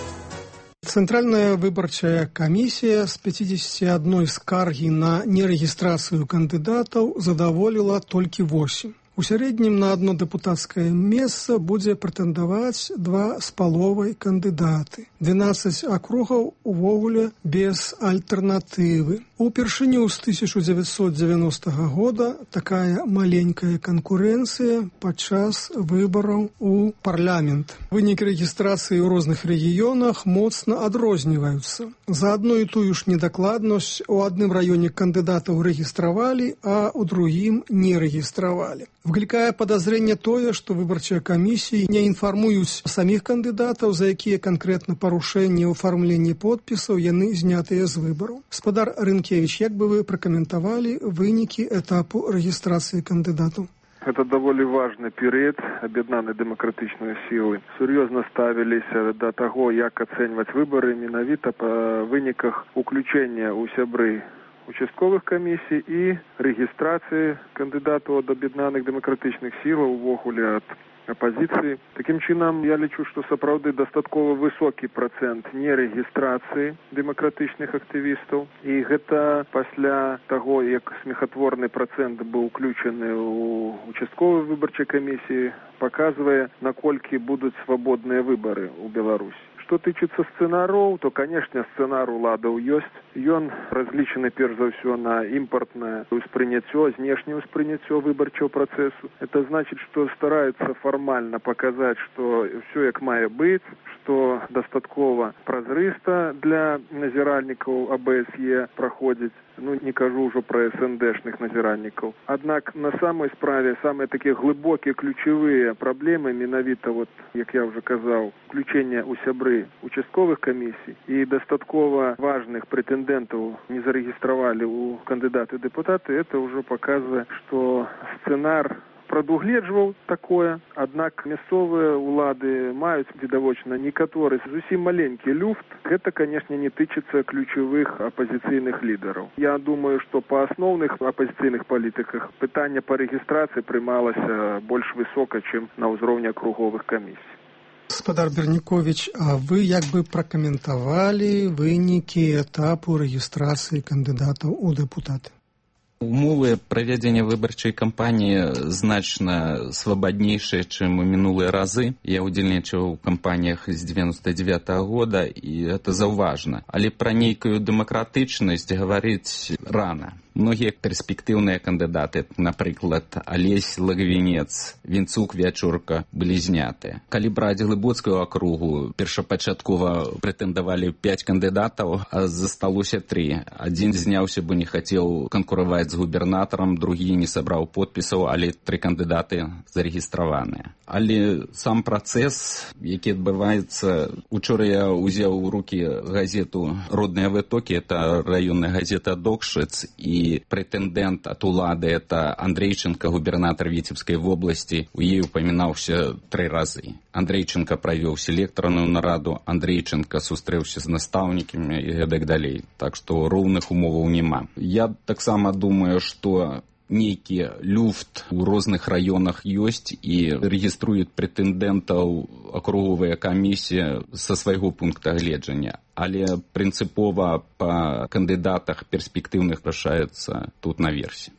Цэнтральная выбарчая камісія з 51 скаргі на нерэгістрацыю кандыдатаў задаволіла толькі 8. У сярэднім на одно дэпутацкае месца будзе прэтэндаваць 2,5 кандыдаты. 12 акругаў увогуле без альтэрнатывы. Упершыню з 1990 года такая маленькая канкурэнцыя падчас выбараў у парламент. Вынікі рэгістрацыі ў розных рэгіёнах моцна адрозніваюцца. За адну і тую ж недакладнасць у адным раёне кандыдатаў рэгістравалі, а ў другім не рэгістравалі. Выклікае падазрэнне тое, што выбарчыя камісіі не інфармуюць саміх кандыдатаў, за якія канкрэтна парушэнні ў афармленні подпісаў яны знятыя з выбараў. Спадар Рынкевіч Рынкевич, як бы вы прокомментовали вынікі этапу регистрации кандидатов? Это даволі важны перыяд. Аб'яднаныя дэмакратычныя сілы сур'ёзна ставіліся да таго, як ацэньваць выбары менавіта па выніках уключэння ў сябры участковых камісій і рэгістрацыі кандыдатаў ад аб'яднаных дэмакратычных сілаў увогуле ад апозіцыі. Такім чынам, я лічу, што сапраўды дастаткова высокі працэнт нерэгістрацыі дэмакратычных актывістаў. І гэта пасля таго, як смехатворны працэнт быў уключаны ў участковай выбарчай камісіі, паказвае, наколькі будуць свабодныя выбары ў Беларусі. Што тычыцца сцэнараў, то, канешне, сцэнар уладаў ёсць. Ён разлічаны перш за ўсё на імпартнае ўспрыняццё, знешняе ўспрыняццё выбарчого працэсу. Это значыць, што стараюцца фармальна паказаць, што ўсё як мае быць, што дастаткова празрыста для назіральнікаў АБСЕ праходзіць. Не кажу ўжо пра СНДшных назіральнікаў. Аднак на самой справе самыя такія глыбокія ключавыя праблемы менавіта, як я ўжо казаў, включэння ў сябры участковых камісій і дастаткова важных прэтэндэнтаў не зарэгістравалі ў кандыдаты дэпутаты, это ўжо паказвае, што сцэнар прадугледжваў такое, аднак мясцовыя ўлады маюць відавочна некаторы зусім маленькі люфт. Гэта, канешне, не тычыцца ключавых апазіцыйных лідараў. Я думаю, што па асноўных апазіцыйных палітыках пытанне па рэгістрацыі прымалася больш высока, чым на ўзроўні акруговых камісій. Гаспадар Бернікович, а вы як бы пракаментавалі вынікі этапу рэгістрацыі кандыдатаў у дэпутаты? Умовы правядзення выбарчай кампаніі значна свабаднейшыя, чым у мінулыя разы. Я ўдзельнічаў у кампаніях з 99-го года, і гэта заўважна. Але пра нейкую дэмакратычнасць гаварыць рана. Многія перспектыўныя кандыдаты, напрыклад, Алесь Лагвінец, Вінцук Вячурка, былі знятыя. Калі браць Глыбоцкую акругу, першапачаткова прэтэндавалі 5 кандыдатаў, а засталося 3. Адзін зняўся, бо не хацеў канкураваць з губернатарам, другі не сабраў подпісаў, але 3 кандыдаты зарэгістраваныя. Але сам працэс, які адбываецца, учора я ўзяў у рукі газету «Родныя вытокі», это раённая газета «Докшыц», і прэтэндэнт ад улады, это Андрейченко, губернатар Віцебскай вобласці, у ей упамінаўся 3 разы. Андрейченко правёў селектарную нараду, Андрейченко сустрэўся з настаўнікамі і гэтак далей. Так што роўных умоваў няма. Я таксама думаю, што нейкі люфт у розных раёнах ёсць і рэгіструюць прэтэндэнтаў акруговая камісія са свайго пункта гледжання. Але прынцыпова па кандыдатах перспектыўных рашаецца тут наверсе.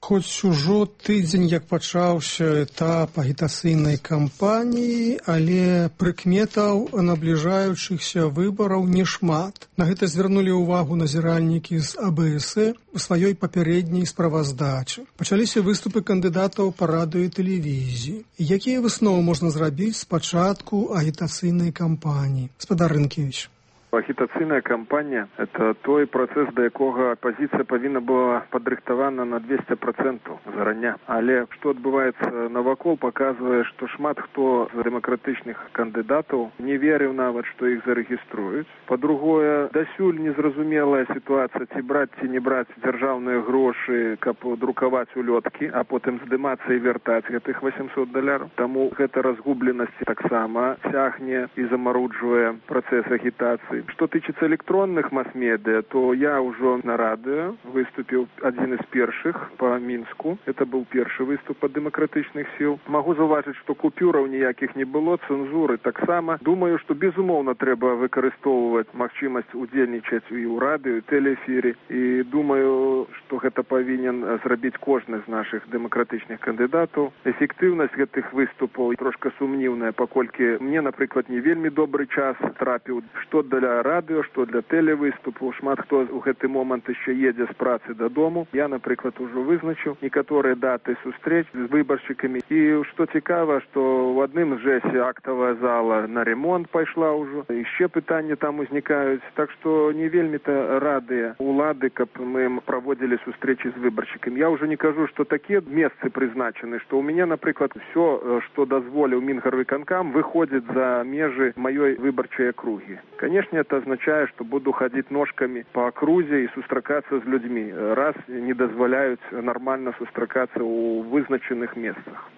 Хоць ужо тыдзень, як пачаўся этап агітацыйнай кампаніі, але прыкметаў набліжаючыхся выбараў нешмат. На гэта звярнулі ўвагу назіральнікі з АБС у сваёй папярэдняй справаздачы. Пачаліся выступы кандыдатаў па радыё і тэлевізіі. Якія высновы можна зрабіць з пачатку агітацыйнай кампаніі? Гаспадар Рынкевич. Агітацыйная кампанія – это той працэс, да якога апазіцыя павінна была падрыхтавана на 200% зарання. Але што адбываецца навакол, паказвае, што шмат хто з дэмакратычных кандыдатаў не верыў нават, што іх зарэгіструюць. Па-другое, дасюль незразумелая сітуацыя, ці браць, ці не браць дзяржаўныя грошы, каб друкаваць улёткі, а потым здымацца і вяртаць гэтых $800. Таму гэта разгубленасць таксама цягне і замаруджвае працэс агітацыі. Што тычыцца электронных мас-медыа, то я ўжо на радыё выступіў адзін з першых па Мінску. Это быў першы выступ ад дэмакратычных сіл. Магу заўважыць, што купюраў ніякіх не было, цэнзуры таксама. Думаю, што безумоўна трэба выкарыстоўваць магчымасць удзельнічаць і ў радыё, і тэлеэфіры. І думаю, што гэта павінен зрабіць кожны з нашых дэмакратычных кандыдатаў. Эфектыўнасць гэтых выступаў трошка сумнівная, паколькі мне, напрыклад, не вельмі добры час трапіў, што для радыё, што для тэлевыступу. Шмат хто ў гэты момант яшчэ едзе з працы дадому. Я, напрыклад, ужо вызначыў некаторыя даты сустрэч з выбаршчыкамі. І што цікава, што ў адным жэсе актавая зала на ремонт пайшла ўжо. Яшчэ пытанні там узнікаюць. Так што не вельмі-то радыя улады, каб мы праводзілі сустрэчы з выбаршчыкамі. Я ўжо не кажу, што такія месцы прызначаны, што ў мяне, напрыклад, ўсё, што дазволіў Мінгарвыканкам, выходзіць за межы маёй выбарчай акругі. Канешне, внешне это означает, что буду ходить ножками по окрузе и сустракаться с людьми, раз не дозволяют нормально сустракаться у вызначенных местах.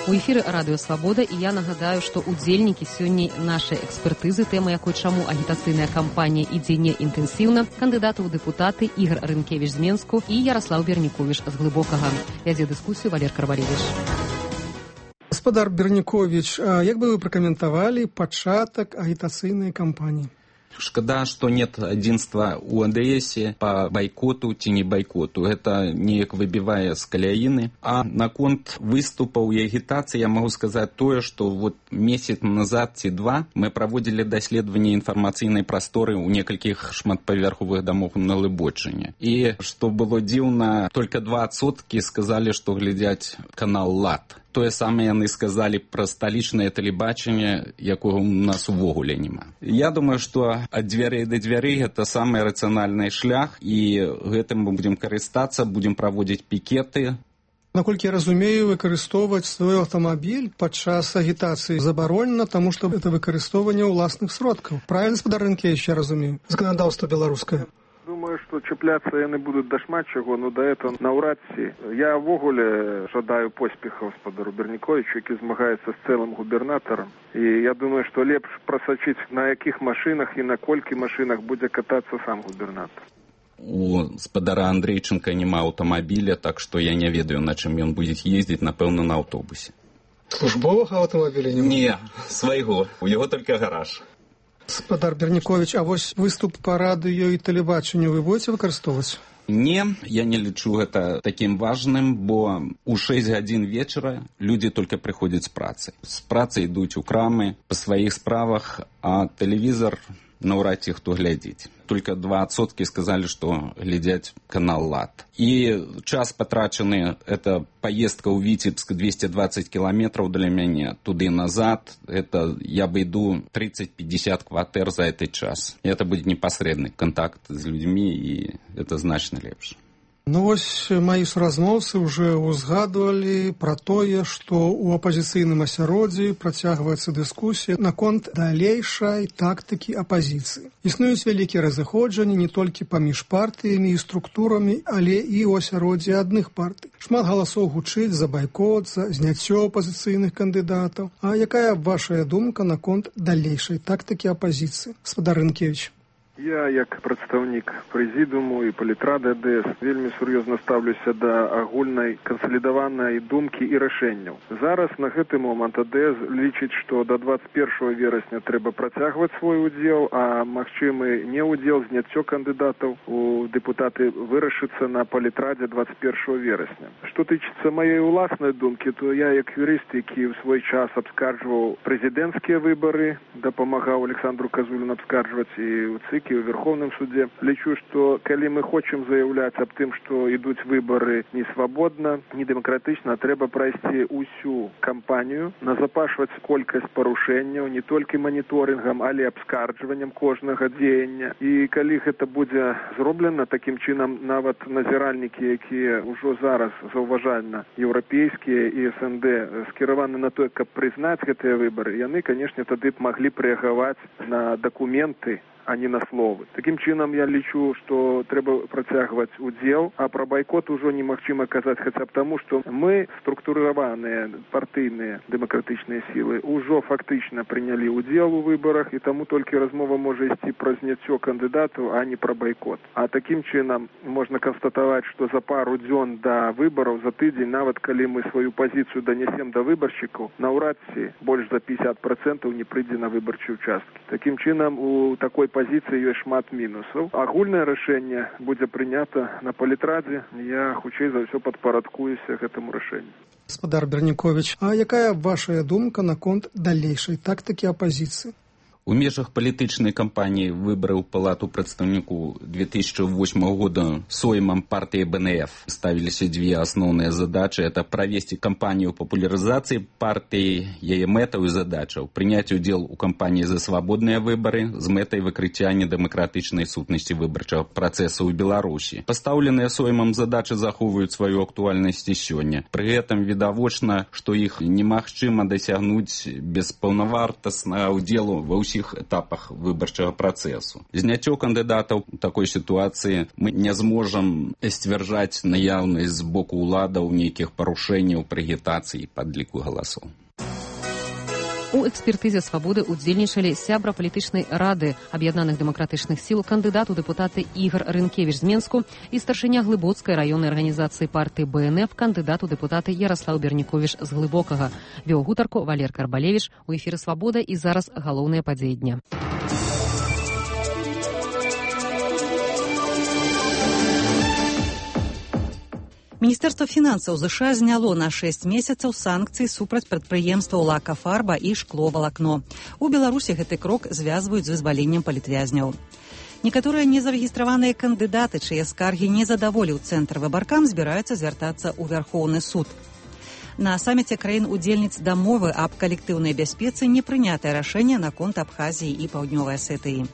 У эфіры радыё Свабода, і я нагадаю, што удзельнікі сёння нашай экспертызы, тэма якой чаму агітацыйная кампанія ідзе не інтэнсіўна, кандыдаты ў дэпутаты Ігар Рынкевіч з Менску і Яраслаў Берніковіч з Глыбокага. Вядзе дыскусію Валер Карвалевіч. Гаспадар Берніковіч, як бы вы пракаментавалі пачатак агітацыйнай кампаніі? Шкада, что нет единства у АДС по бойкоту ці не бойкоту. Это неяк выбивае з каляіны. А наконт выступаў і агітацыі я могу сказаць тое, што вот месяц назад ці два мы праводзілі даследаванне інфармацыйнай прасторы ў некалькіх шматпавярховых дамоў на Лыбочыне. І што было дзіўна, только 2% сказалі, што глядзяць канал ЛАД. Тое самае яны сказалі пра сталічнае тэлебачанне, якога у нас увогуле няма. Я думаю, што ад дзвярэй да дзвярэй гэта самы рацыянальны шлях, і гэтым мы будзем карыстацца, будзем праводзіць пікеты. Наколькі я разумею, выкарыстоўваць свой аўтамабіль падчас агітацыі забаронена, таму што гэта выкарыстоўванне ўласных сродкаў. Правільна, гаспадар Рынкевіч, я разумею? Заканадаўства беларускае. Думаю, что чапляцца яны будуць да шмат чаго, но да этого наўрад ці. Я ввогуле жадаю поспехаў гаспадару Берніковічу, які змагаецца з цэлым губернатарам. І я думаю, што лепш прасачыць, на якіх машынах і на колькі машынах будзе катацца сам губернатар. У гаспадара Андрейченка няма аўтамабіля, так што я не ведаю, на чым ён будзе ездзіць, напэўна, на аўтобусе. Службовага аўтамабіля няма? Не, свайго. У яго толькі гараж. Гаспадар Берніковіч, а вось выступ па радыё і тэлебачанню вы будзеце выкарыстоўваць? Не, я не лічу гэта такім важным, бо у 6 гадзін вечара людзі толькі прыходзяць з працы. З працы ідуць у крамы па сваіх справах, а тэлевізор наўрад ці хто глядзіць. Только 2% сказалі, што глядзяць канал ЛАД. І час патрачаны, это поездка ў Віцебск 220 кілометраў для мяне, туды-назад, это я абыду 30-50 кватэр за этот час. І это будзе непасрэдны контакт з людзьмі, і это значна лепш. Ну вось мои суразмоўцы уже узгадывалі пра тое, што ў апазіцыйным асяроддзі працягваецца дыскусія наконт далейшай тактыкі апазіцыі. Існуюць вялікія разыходжанні не толькі паміж партыямі і структурамі, але і ў асяроддзі адных партый. Шмат галасоў гучыць за байкот, за зняццё апазіцыйных кандыдатаў. А якая вашая думка наконт далейшай тактыкі апазіцыі? Гаспадар Рынкевіч. Я, як прадстаўнік прэзідыуму і палітрады АДС, вельмі сур'ёзна стаўлюся да агульнай кансалідаванай думкі і рашэнняў. Зараз на гэты момант АДС лічыць, што да 21 верасня трэба працягваць свой удзел, а магчымы неудзел, зняццё кандыдатаў у дэпутаты вырашыцца на палітрадзе 21 верасня. Што тычыцца маёй уласнай думкі, то я, як юрыст, які ў свой час абскарджваў прэзідэнцкія выбары, дапамагаў Александру Казуліну абскарджваць і ў ЦИК, і ў Верховным суде. Лічу, што калі мы хочам заяўляць аб тым, што ідуць выбары не свабодна, не дэмакратычна, трэба прайсці ўсю кампанію, назапашваць колькасць парушэнняў, не толькі маніторынгам, але абскарджваннем кожнага дзеяння. І калі гэта будзе зроблена, такім чынам нават назіральнікі, якія ўжо зараз заўважальна еўрапейскія і СНД скіраваны на тое, каб прызнаць гэтыя выбары, яны, канешне, тады б маглі рэагаваць на дакументы, а не на словы. Такім чынам я лічу, што трэба працягваць удзел, а пра байкот ужо немагчыма казаць хаця б таму, што мы, структурыраваныя партыйныя дэмакратычныя сілы, ужо фактычна прынялі удзел у выбарах, і таму толькі размова можа ісці пра зняццё кандыдатаў, а не пра байкот. А такім чынам можна канстатаваць, што за пару дзён да выбараў, за тыдзень, нават калі мы сваю пазіцыю данесем да выбаршчыкаў, наўрад ці больш за 50% не прыйдзе на выбарчыя ўчасткі. Такім чынам у такой пазіцыі ёсць шмат мінусаў. Агульнае рашэнне будзе прынята на палітрадзе. Я хутчэй за ўсё падпарадкуюся гэтаму рашэнню. Гаспадар Берніковіч, а якая вашая думка наконт далейшай тактыкі апазіцыі? У межах палітычнай кампаніі выбараў палату прадстаўніку 2008 года соймам партыі БНФ ставіліся дзве асноўныя задачы. Это правесці кампанію папулярызацыі партыі, яе мэтаў і задачаў, прыняць удзел у кампаніі за свабодныя выбары з мэтай выкрыцця недэмакратычнай сутнасці выбарчага працэсу ў Беларусі. Пастаўленыя соймам задачы захоўваюць сваю актуальнасць і сёння. Пры гэтым відавочна, што іх немагчыма дасягнуць без паўнавартаснага ўдзелу ва ўсіх усіх этапах выбарчага працэсу. Зняццё кандыдатаў у такой сітуацыі мы не зможам сцвярджаць наяўнасць з боку ўладаў нейкіх парушэнняў пры агітацыі і падліку галасоў. У экспертызе «Свабоды» удзельнічалі сябра палітычнай рады аб'яднаных дэмакратычных сіл, кандыдат у дэпутаты Ігар Рынкевіч з Менску і старшыня Глыбоцкай раённай арганізацыі партыі БНФ, кандыдат у дэпутаты Яраслаў Берніковіч з Глыбокага. Вёў гутарку Валер Карбалевіч. У эфіры «Свабода» і зараз галоўныя падзеі дня. Міністэрства фінансаў ЗША зняло на 6 месяцаў санкцыі супраць прадпрыемстваў «Лакафарба» і «Шкловалакно». У Беларусі гэты крок звязваюць з вызваленнем палітвязняў. Некаторыя незарэгістраваныя кандыдаты, чые скаргі не задаволіў цэнтр выбаркам, збіраюцца звяртацца ў Вярхоўны суд. На саміце краін-удзельніц дамовы аб калектыўнай бяспецы не прынятае рашэнне наконт Абхазіі і Паўднёвай Асетыі.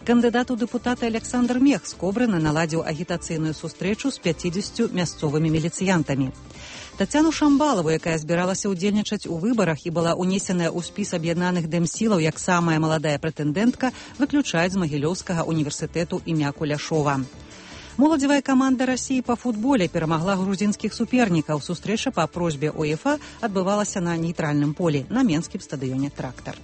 Кандыдат у дэпутаты Александр Мех з Кобрына наладзіў агітацыйную сустрэчу з 50 мясцовымі міліцыянтамі. Тацяну Шамбалаву, якая збіралася ўдзельнічаць у выбарах і была ўнесеная ў спіс аб'яднаных дэмсілаў як самая маладая прэтэндэнтка, выключаюць з Магілёўскага універсітэту імя Куляшова. Моладзевая каманда Расіі па футболе перамагла грузінскіх супернікаў. Сустрэча па просьбе УЕФА адбывалася на нейтральным полі на менскім стадыёне «Трактар».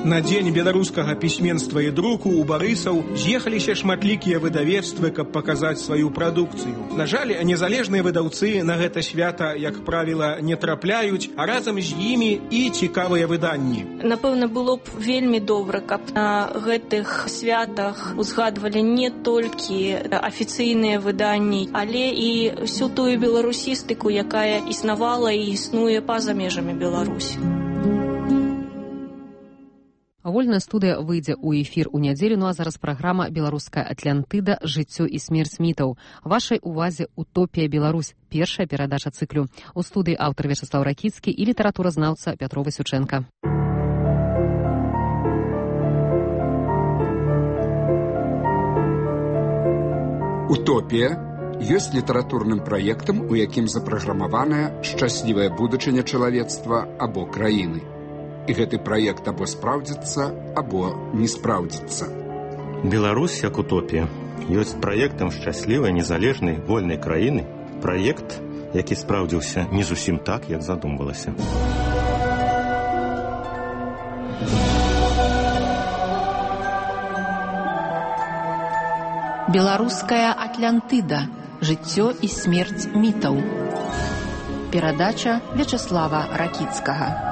На дзень беларускага пісьменства і друку ў Барысаў з'ехаліся шматлікія выдавецтвы, каб паказаць сваю прадукцыю. На жаль, незалежныя выдаўцы на гэта свята, як правіла, не трапляюць, а разам з імі і цікавыя выданні. Напэўна, было б вельмі добра, каб на гэтых святах узгадвалі не толькі афіцыйныя выданні, але і всю тую беларусістыку, якая існавала і існуе па-за межамі Беларусі. Вольная студыя выйдзе ў эфір у нядзелю, ну а зараз праграма «Беларуская Атлантыда. Жыццё і смерць мітаў». Вашай увазе «Утопія Беларусь», першая перадача цыклю. У студыі аўтар Вячаслаў Ракіцкі і літаратуразнаўца Пятро Васючэнка. «Утопія» ёсць літаратурным праектам, у якім запраграмаваная шчаслівая будучыня чалавецтва або краіны. І гэты праект або спраўдзіцца, або не спраўдзіцца. Беларусь як утопія ёсць праектам шчаслівай, незалежнай, вольнай краіны. Праект, які спраўдзіўся не зусім так, як задумвалася. Беларуская Атлантыда. Жыццё і смерць мітаў. Перадача Вячаслава Ракіцкага.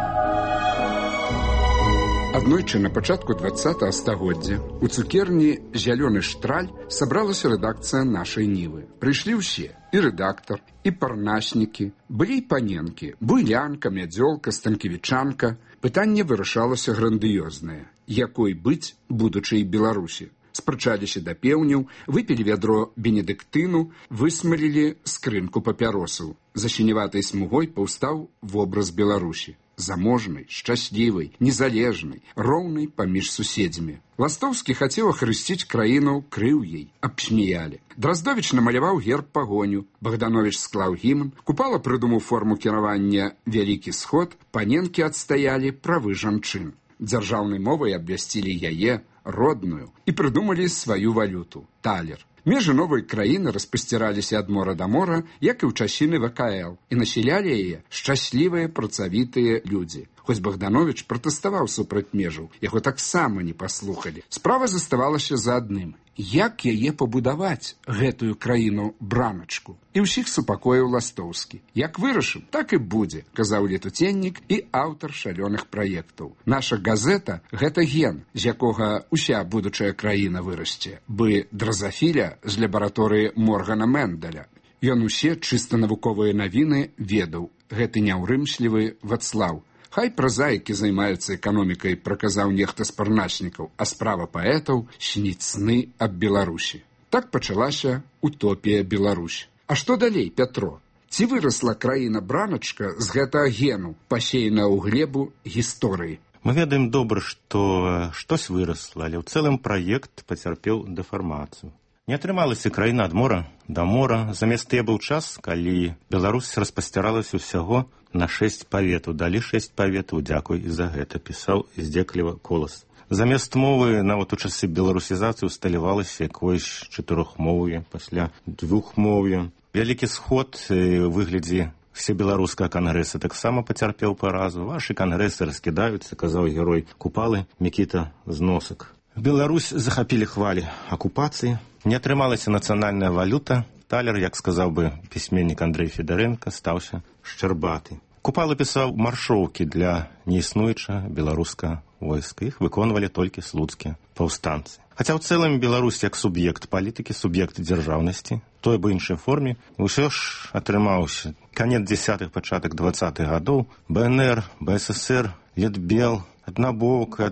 Аднойчы на пачатку 20-го стагоддзя у цукерні «Зялёны штраль» сабралася рэдакцыя нашай Нівы. Прыйшлі ўсе, і рэдактар, і парнаснікі, былі і паненкі, буйлянка, мядзёлка, станкевічанка. Пытанне вырашалася грандыёзнае. Якой быць будучай Беларусі? Спрачаліся да пеўняў, выпілі вядро бенедыктыну, высмалілі скрынку папяросаў. За сіневатай смугой паўстаў вобраз Беларусі. Заможнай, шчаслівай, незалежнай, роўнай паміж суседзямі. Ластоўскі хацеў ахрысціць краіну крыўяй, абсміялі. Драздовіч намаляваў герб пагоню, Богданович склаў гімн, Купала прыдумаў форму кіравання «Вялікі сход», паненкі адстаялі правы жанчын. Дзяржаўнай мовай абвясцілі яе, родную, і прыдумалі сваю валюту – талер. Межы новай краіны распасціраліся ад мора да мора, як і ў часіны ВКЛ, і насялялі яе шчаслівыя працавітыя людзі. Хоць Богданович пратэставаў супраць межаў, яго таксама не паслухалі. Справа заставалася за адным. Як яе пабудаваць, гэтую краіну-браначку? І ўсіх супакоіў Ластоўскі. Як вырашым, так і будзе, казаў летуценнік і аўтар шалёных праектаў. Наша газета – гэта ген, з якога ўся будучая краіна вырасце, бы дразафіля з лабараторыі Моргана Менделя. Ён усе чыста навуковыя навіны ведаў. Гэты няўрымслівы Вацлаў. Хай празаікі займаюцца эканомікай, праказаў нехта з парначнікаў, а справа паэтаў сніць сны аб Беларусі. Так пачалася утопія Беларусь. А што далей, Пятро? Ці вырасла краіна-браначка з гэтага гену, пасеяна ў глебу гісторыі? Мы ведаем добра, што штось вырасла, але ў цэлым праект пацярпеў дэфармацыю. Не атрымалася краіна ад мора да мора. Замест тыя быў час, калі Беларусь распасціралася ўсяго на 6 паветаў. Далі 6 паветаў, дзякуй і за гэта, пісаў здзекліва Колас. Замест мовы нават у часы беларусізацыі усталявалася якоюсь 4-мов'е, пасля 2-мов'е. Вялікі сход у выглядзе всебеларускага кангрэса таксама пацярпеў паразу. Вашы кангрэсы раскідаюцца, казаў герой Купалы Мікіта Зносак. Беларусь захапілі хвалі акупацыі. Не атрымалася нацыянальная валюта. Талер, як сказаў бы пісьменнік Андрэй Федарэнка, стаўся шчарбаты. Купала пісаў маршоўкі для неіснуючага беларускага войска. Іх выконвалі толькі слуцкія паўстанцы. Хаця ў цэлым Беларусь як суб'ект палітыкі, суб'ект дзяржаўнасці, той бы іншай форме, усё ж атрымаўся канец 10-х, пачатак 20-х гадоў. БНР, БССР, Летбел, аднавокая,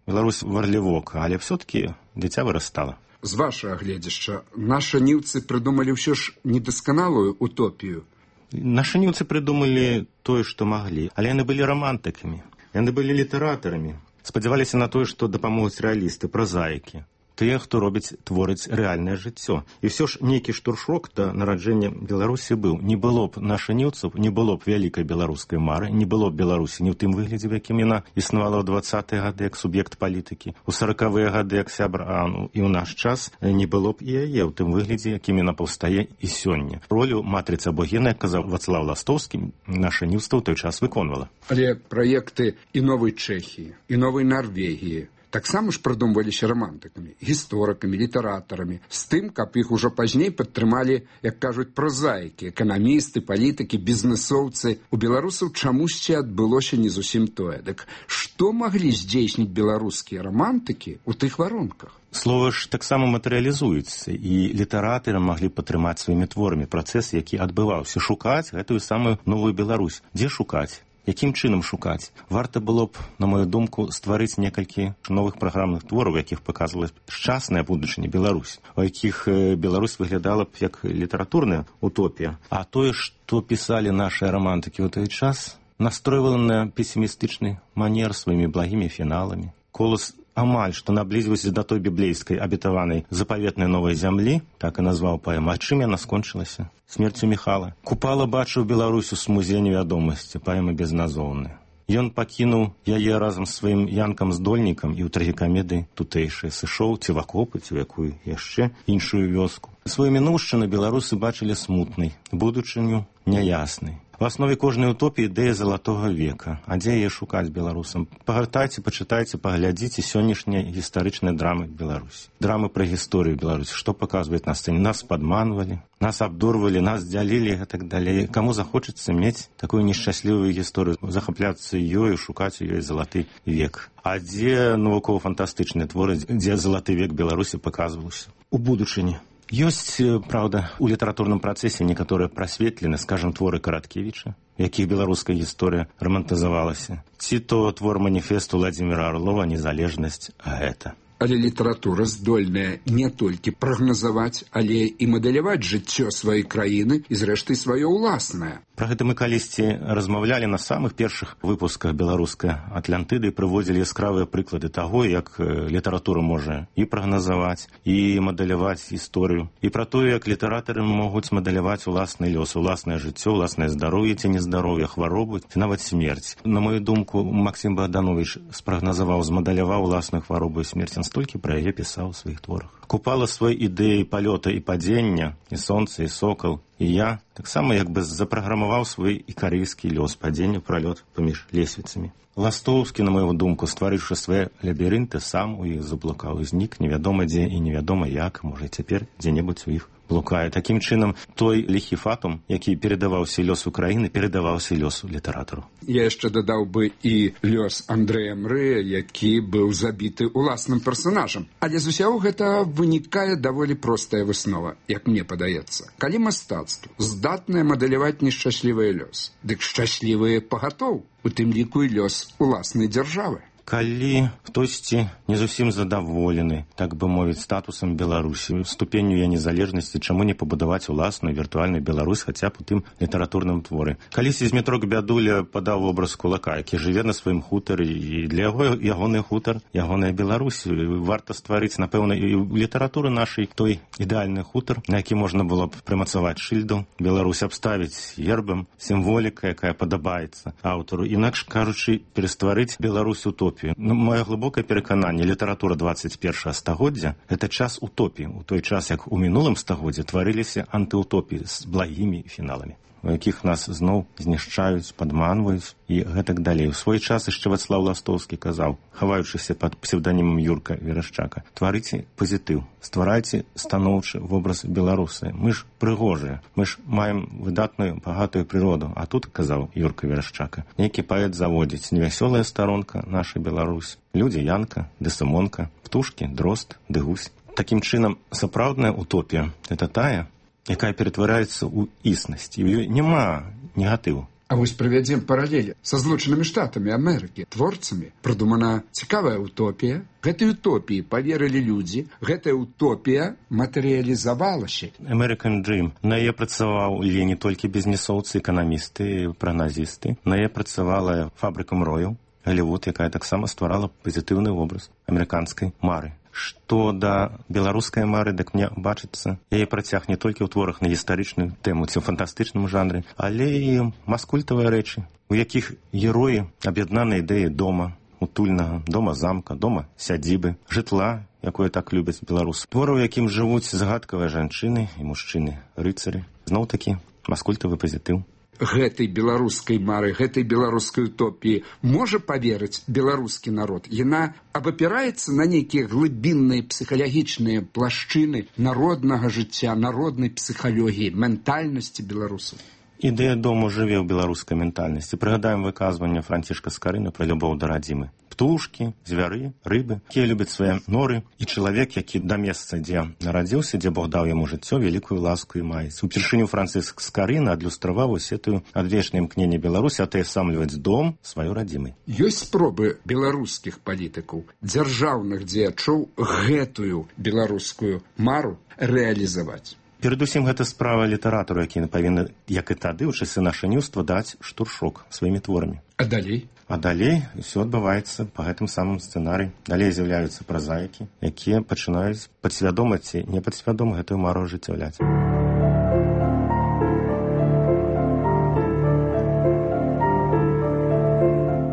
Беларусь варлівока, але все-таки дзіця вырастала. З вашага гледзяшча, нашы ніўцы прыдумалі ўсё ж недасканалую утопію. Нашы ніўцы прыдумалі тое, што маглі, але яны былі рамантыкамі, яны былі літаратарамі, спадзяваліся на тое, што дапамогуць рэалісты, празаікі, тыя, хто творыць рэальнае жыццё. І ўсё ж нейкі штуршок да нараджэння Беларусі быў. Не было б нашаніўцаў, не было б вялікай беларускай мары, не было б Беларусі ні ў тым выглядзе, в якім яна існавала ў 20-е гады як суб'ект палітыкі, у 40-е гады як сябра, і ў наш час не было б і яе ў тым выглядзе, якім яна паўстае і сёння. Ролю матрыцы або гена, як казаў Вацлаў Ластовскі, нашаніўства ў той час выконвала. Але праекты і новай Чэхіі, і новай Нарвегіі таксама ж прыдумваліся рамантыкамі, гісторыкамі, літаратарамі, з тым, каб іх ужо пазней падтрымалі, як кажуць, прозаікі, эканамісты, палітыкі, бізнесоўцы. У беларусаў чамусьці адбылося не зусім тое. Дык што маглі здзейсніць беларускія рамантыкі ў тых варунках? Слова ж таксама матэрыялізуецца, і літаратары маглі падтрымаць сваімі творамі працэс, які адбываўся. Шукаць гэтую самую новую Беларусь. Дзе шукаць? Якім чынам шукаць? Варта было б, на мою думку, стварыць некалькі новых праграмных твораў, якіх паказвала шчасная будучыня Беларусь, у якіх Беларусь выглядала б як літаратурная утопія. А тое, што пісалі нашы рамантыкі ў той час, настройвала на песімістычны манер сваімі благімі фіналамі. Колас амаль што наблізіўся да той біблейскай абетаванай запаветнай новай зямлі, так і назваў паэму. А чым яна скончылася? Смерцю Міхала. Купала бачыў Беларусю з музея невядомасці, паэма безназоўная. Ён пакінуў яе разам з сваім янкам-здольнікам і ў трагікамедыі тутэйшай сышоў ці в акопы, ці ў якую яшчэ іншую вёску. Сваю мінуўшчыну беларусы бачылі смутнай, будучыню няяснай. В аснове кожнай утопіі ідэя залатога века. А дзе яе шукаць беларусам? Пагартайце, пачытайце, паглядзіце сённяшнія гістарычныя драмы Беларусі. Драмы пра гісторыю Беларусі. Што паказваюць на сцэне? Нас падманвалі, нас абдурвалі, нас дзялілі і так далей. Каму захочацца мець такую нешчаслівую гісторыю, захапляцца ёю, шукаць у ёй залаты век. А дзе навукова-фантастычныя творы, дзе залаты век Беларусі паказваўся? У будучыні. Ёсць, праўда, у літаратурным працэсе некаторыя прасветлены, скажам, творы Караткевіча, якіх беларуская гісторыя рамантызавалася. Ці то твор маніфесту Владзіміра Арлова «Незалежнасць», а гэта. Але літаратура здольная не толькі прагназаваць, але і мадэляваць жыццё сваёй краіны і, зрэшты, сваё ўласнае. Пра гэта мы калісьці размаўлялі на самых першых выпусках беларускай Атлантыды і прыводзілі яскравыя прыклады таго, як літаратура можа і прагназаваць, і мадэляваць гісторыю, і пра тое, як літаратары могуць мадэляваць уласны лёс, уласнае жыццё, уласнае здароўе ці нездароўе, хваробу ці нават смерць. На мою думку, Максім Богданович спрагназаваў, змадэляваў уласную хваробу і смерць, он столькі пра яе пісаў у сваіх творах. Купала свой ідэі палёта і падзення, і сонца, і сокал, і я таксама як бы запраграмаваў свой ікарыйскі лёс, падзення, пралёт паміж лесвіцамі. Ластоўскі, на мою думку, стварыўшы свае лабірынты, сам у іх заблукаў і знік невядома дзе і невядома як, можа цяпер дзе-небудзь у іх блукае. Такім чынам, той ліхі фатум, які перадаваўся лёсу краіны, перадаваўся лёсу літаратару. Я яшчэ дадаў бы і лёс Андрэя Мрэя, які быў забіты уласным персанажам. Але з усяго гэта вынікае даволі простая выснова, як мне падаецца. Калі мастацтва здатнае мадэляваць нешчаслівы лёс, дык шчаслівыя пагатоў, у тым ліку і лёс уласнай дзяржавы. Калі хтосьці не зусім задаволены, так бы мовіць, статусам Беларусі, ступенню яе незалежнасці, чаму не пабудаваць уласную віртуальную Беларусь хаця б у тым літаратурным творы. Калісьці Змітрок Бядуля падаў вобраз кулака, які жыве на сваім хутары, і для яго ягоны хутар, ягоная Беларусь. Варта стварыць, напэўна, і ў літаратуры нашай той ідэальны хутар, на які можна было б прымацаваць шыльду, Беларусь абставіць гербам, сімволіка, якая падабаецца аўтару. Інакш кажучы, перастварыць Беларусь утопію. Маё глыбокае перакананне, літаратура 21 стагоддзя – гэта час утопіі, у той час, як у мінулым стагоддзе тварыліся антыутопіі з благімі фіналамі, у якіх нас зноў знішчаюць, падманваюць і гэтак далей. У свой час яшчэ Вацлаў Ластоўскі казаў, хаваючыся пад псевданімам Юрка Верашчака: тварыце пазітыў, стварайце станоўчы вобраз беларусы. Мы ж прыгожыя, мы ж маем выдатную багатую прыроду. А тут, казаў Юрка Верашчака, нейкі паэт заводзіць: невясёлая старонка наша Беларусь, людзі Янка ды Сымонка, птушкі, дрозд ды гусь. Такім чынам, сапраўдная утопія – гэта тая, якая ператвараецца ў існасць, і ў ёй няма негатыву. А вось правядзем паралель са Злучанымі Штатамі Амерыкі, творцамі. Прыдумана цікавая утопія. Гэтай утопіі паверылі людзі, гэтая утопія матэрыялізавалася. American Dream. На яе працаваў не толькі бізнесоўцы, эканамісты, прагназісты. На яе працавала фабрыка мрояў, Голливуд, якая таксама стварала пазітыўны вобраз амерыканскай мары. Што да беларускай мары, дык мне бачыцца, яе працяг не толькі ў творах на гістарычную тэму ці ў фантастычным жанры, але і маскультавыя рэчы, у якіх героі аб'яднаны ідэі дома, утульнага, дома-замка, дома-сядзібы, жытла, якое так любяць беларусы. Творы, у якім жывуць загадкавыя жанчыны і мужчыны, рыцары. Зноў-такі маскультавы пазітыў. Гэтай беларускай мары, гэтай беларускай утопіі можа паверыць беларускі народ? Яна абапіраецца на нейкія глыбінныя псіхалагічныя плашчыны народнага жыцця, народнай псіхалогіі, ментальнасці беларусаў. Ідэя дому жыве ў беларускай ментальнасці. Прыгадаем выказванне Францішка Скарыны пра любоў да радзімы. Птушкі, звяры, рыбы, якія любяць свае норы, і чалавек, які да месца, дзе нарадзіўся, дзе Бог даў яму жыццё, вялікую ласку і маецца. Упершыню Франціск Скарына адлюстраваў усе тую адвечнае імкненне Беларусі атэсамліваць дом сваёй радзімай. Ёсць спробы беларускіх палітыкаў, дзяржаўных дзеячоў гэтую беларускую мару рэалізаваць. Перадусім, гэта справа літаратару, які павінны, як і тады, ў часы нашаніўства, даць штуршок сваімі творамі. А далей? А далей усё адбываецца па гэтым самым сцэнарыі. Далей з'яўляюцца празаікі, якія пачынаюць падсвядома ці непадсвядома гэтую мару ажыццяўляць.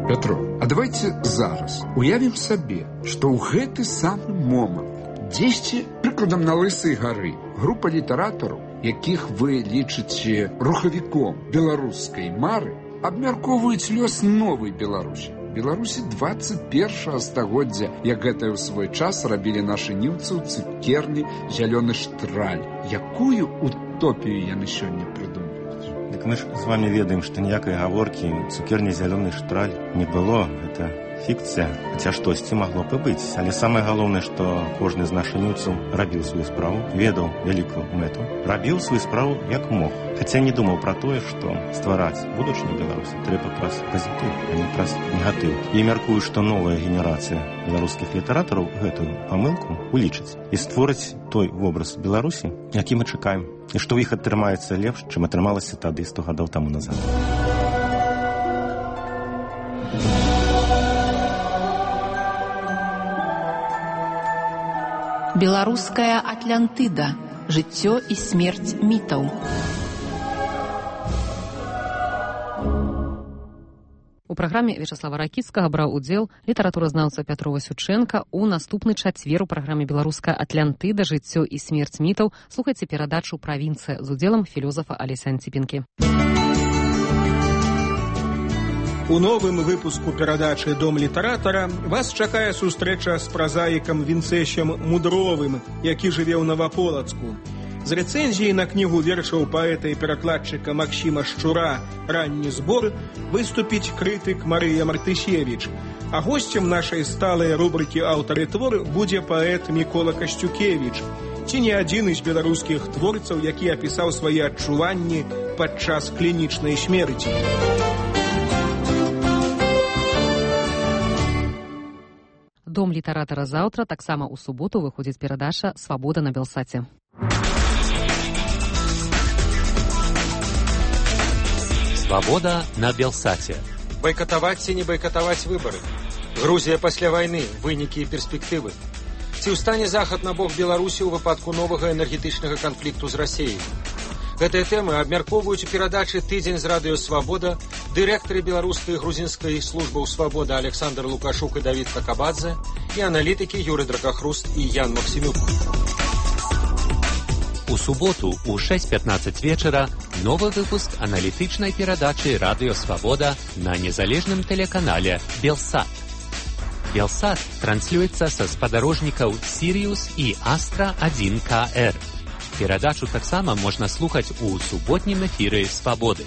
Пятро, а давайте зараз уявім сабе, што ў гэты самы момант дзесьці, прыкладам, на Лысай гары, група літаратараў, якіх вы лічыце рухавіком беларускай мары, абмяркоўваюць лёс новай Беларусі. Беларусі 21 стагоддзя, як гэта ў свой час рабілі нашы ніўцы ў цукерні «Зялёны штраль». Якую утопію яны сёння прыдумаюць? Дык мы ж з вами ведаем, што ніякай гаворкі цукерні «Зялёны штраль» не было. Гэта фікцыя, хаця штосьці магло б і быць. Але самае галоўнае, што кожны з нашаніўцаў рабіў сваю справу, ведаў вялікую мэту, рабіў сваю справу як мог. Хаця не думаў пра тое, што ствараць будучыню Беларусі трэба праз пазітыў, а не праз негатыў. І мяркую, што новая генерацыя беларускіх літаратараў гэтую памылку улічыць і створыць той вобраз Беларусі, які мы чакаем, і што ў іх атрымаецца лепш, чым атрымалася тады 100 гадоў таму назад. Беларуская Атлантыда. Жыццё і смерць мітаў. У праграме Вячаслава Ракіцкага браў удзел літаратуразнаўца Пятро Васючэнка. У наступны чацвер у праграме «Беларуская Атлантыда. Жыццё і смерць мітаў» слухайце перадачу «Правінцыя» з удзелам філёзафа Алеся Анціпінкі. У новым выпуску перадачы «Дом літаратара» вас чакае сустрэча з празаікам Вінцэсем Мудровым, які жыве ў Наваполацку. З рэцэнзіяй на кнігу вершаў паэта і перакладчыка Максіма Шчура «Ранні збор» выступіць крытык Марыя Мартысевіч. А госцем нашай сталай рубрыкі «Аўтары твор» будзе паэт Мікола Касцюкевіч. Ці не адзін з беларускіх творцаў, які апісаў свае адчуванні падчас клінічнай смерці. Дом літаратара заўтра, таксама ў суботу выходзіць перадача «Свабода» на Белсаце. «Свабода» на Белсаце. Байкатаваць ці не байкатаваць выбары? Грузія пасля вайны, вынікі і перспектывы. Ці ўстане Захад на бок Беларусі ў выпадку новага энергетычнага канфлікту з Расіяй? Гэтыя тэмы абмяркоўваюць у перадачы «Тыдзень» з радыё «Свабода» дырэктары беларускай і грузінскай службаў «Свабода» Александр Лукашук і Давід Какабадзе і аналітыкі Юрый Дракахруст і Ян Максімюк. У суботу ў 6:15 вечара новы выпуск аналітычнай перадачы радыё «Свабода» на незалежным тэлеканале «Белсат». «Белсат» транслюецца са спадарожнікаў «Сіриус» і «Астра-1КР». Перадачу таксама можна слухаць у суботнім эфіры «Свабоды».